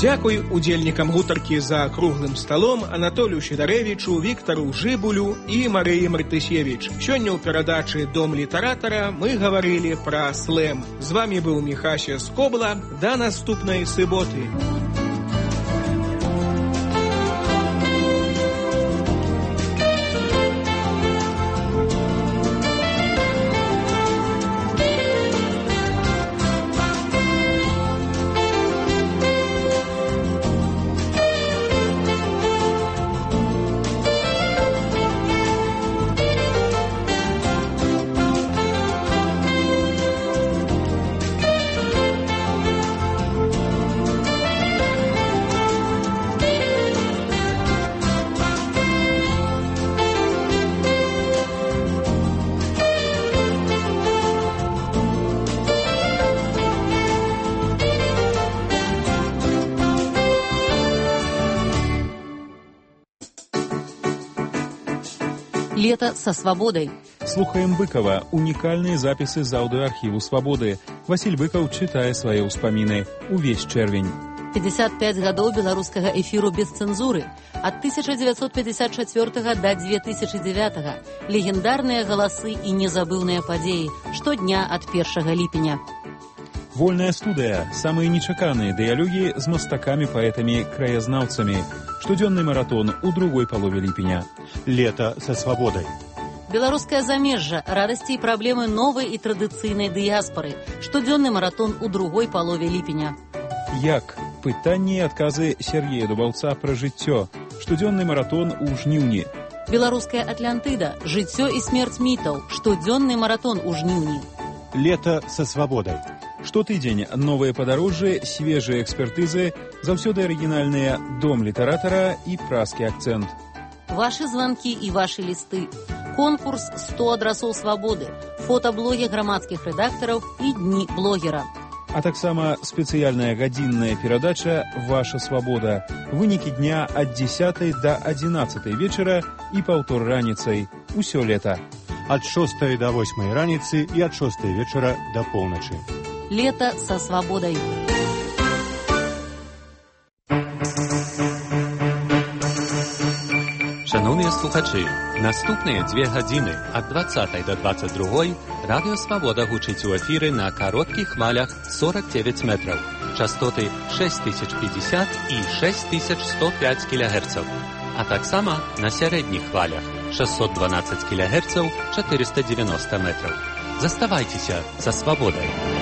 I: Дзякуй удзельнікам гутаркі за круглым сталом Анатолію Сідарэвічу, Віктару Жыбулю і Марыі Мартысевіч. Сёння ў перадачы «Дом літаратара» мы гаварылі пра слэм. З вамі быў Міхася Скобла. Да наступнай суботы.
L: Лето со свободой.
M: Слухаем Быкова. Уникальные записи из аудиоархиву «Свободы». Василь Быков читае свае ўспаміны. Увесь чэрвень.
L: 55 гадоў беларускага эфіру без цэнзуры. Ад 1954 до 2009. Легендарныя галасы і незабыўныя падзеі. Штодня ад 1 ліпеня.
M: Вольная студыя, самыя нечаканыя дыялогі з мастакамі, паэтамі, краязнаўцамі. Штодзённы маратон у другой палове ліпеня.
N: Лето со свободой.
L: Беларускае замежжа, радасці і праблемы новай і традыцыйнай дыяспары. Штодзённы маратон у другой палове ліпеня.
M: Як? Пытанні і адказы Сергея Дубаўца пра жыццё. Штодзённы маратон у жніўні.
L: Беларуская Атлантыда. Жыццё і смерць мітаў. Штодзённы маратон у жніўні.
N: Лето со свободой.
M: Штотыдзень новыя падарожжы, свежыя экспертызы, заўсёды арыгінальныя дом літаратара і празкі акцэнт.
L: Вашы званкі і вашы лісты. Конкурс 100 адрасоў свабоды. Фотаблогі грамадскіх рэдактараў і дні блогера.
M: А таксама спецыяльная гадзінная перадача «Ваша свабода». Вынікі дня ад 10 до 11 вечара і паўтор раніцай. Усё лета.
N: Ад 6 до 8 раніцы і ад 6 вечара до поўначы.
L: Лето со свободой.
G: Шановні слухачі, наступні 2 години ад 20 до 22 Радіо Свобода гучить у ефірі на коротких хвалях 49 метрів, частоти 6050 і 6105 кГц, а так само на середніх хвалях 612 кГц, 490 метрів. Заставайтеся за свободою.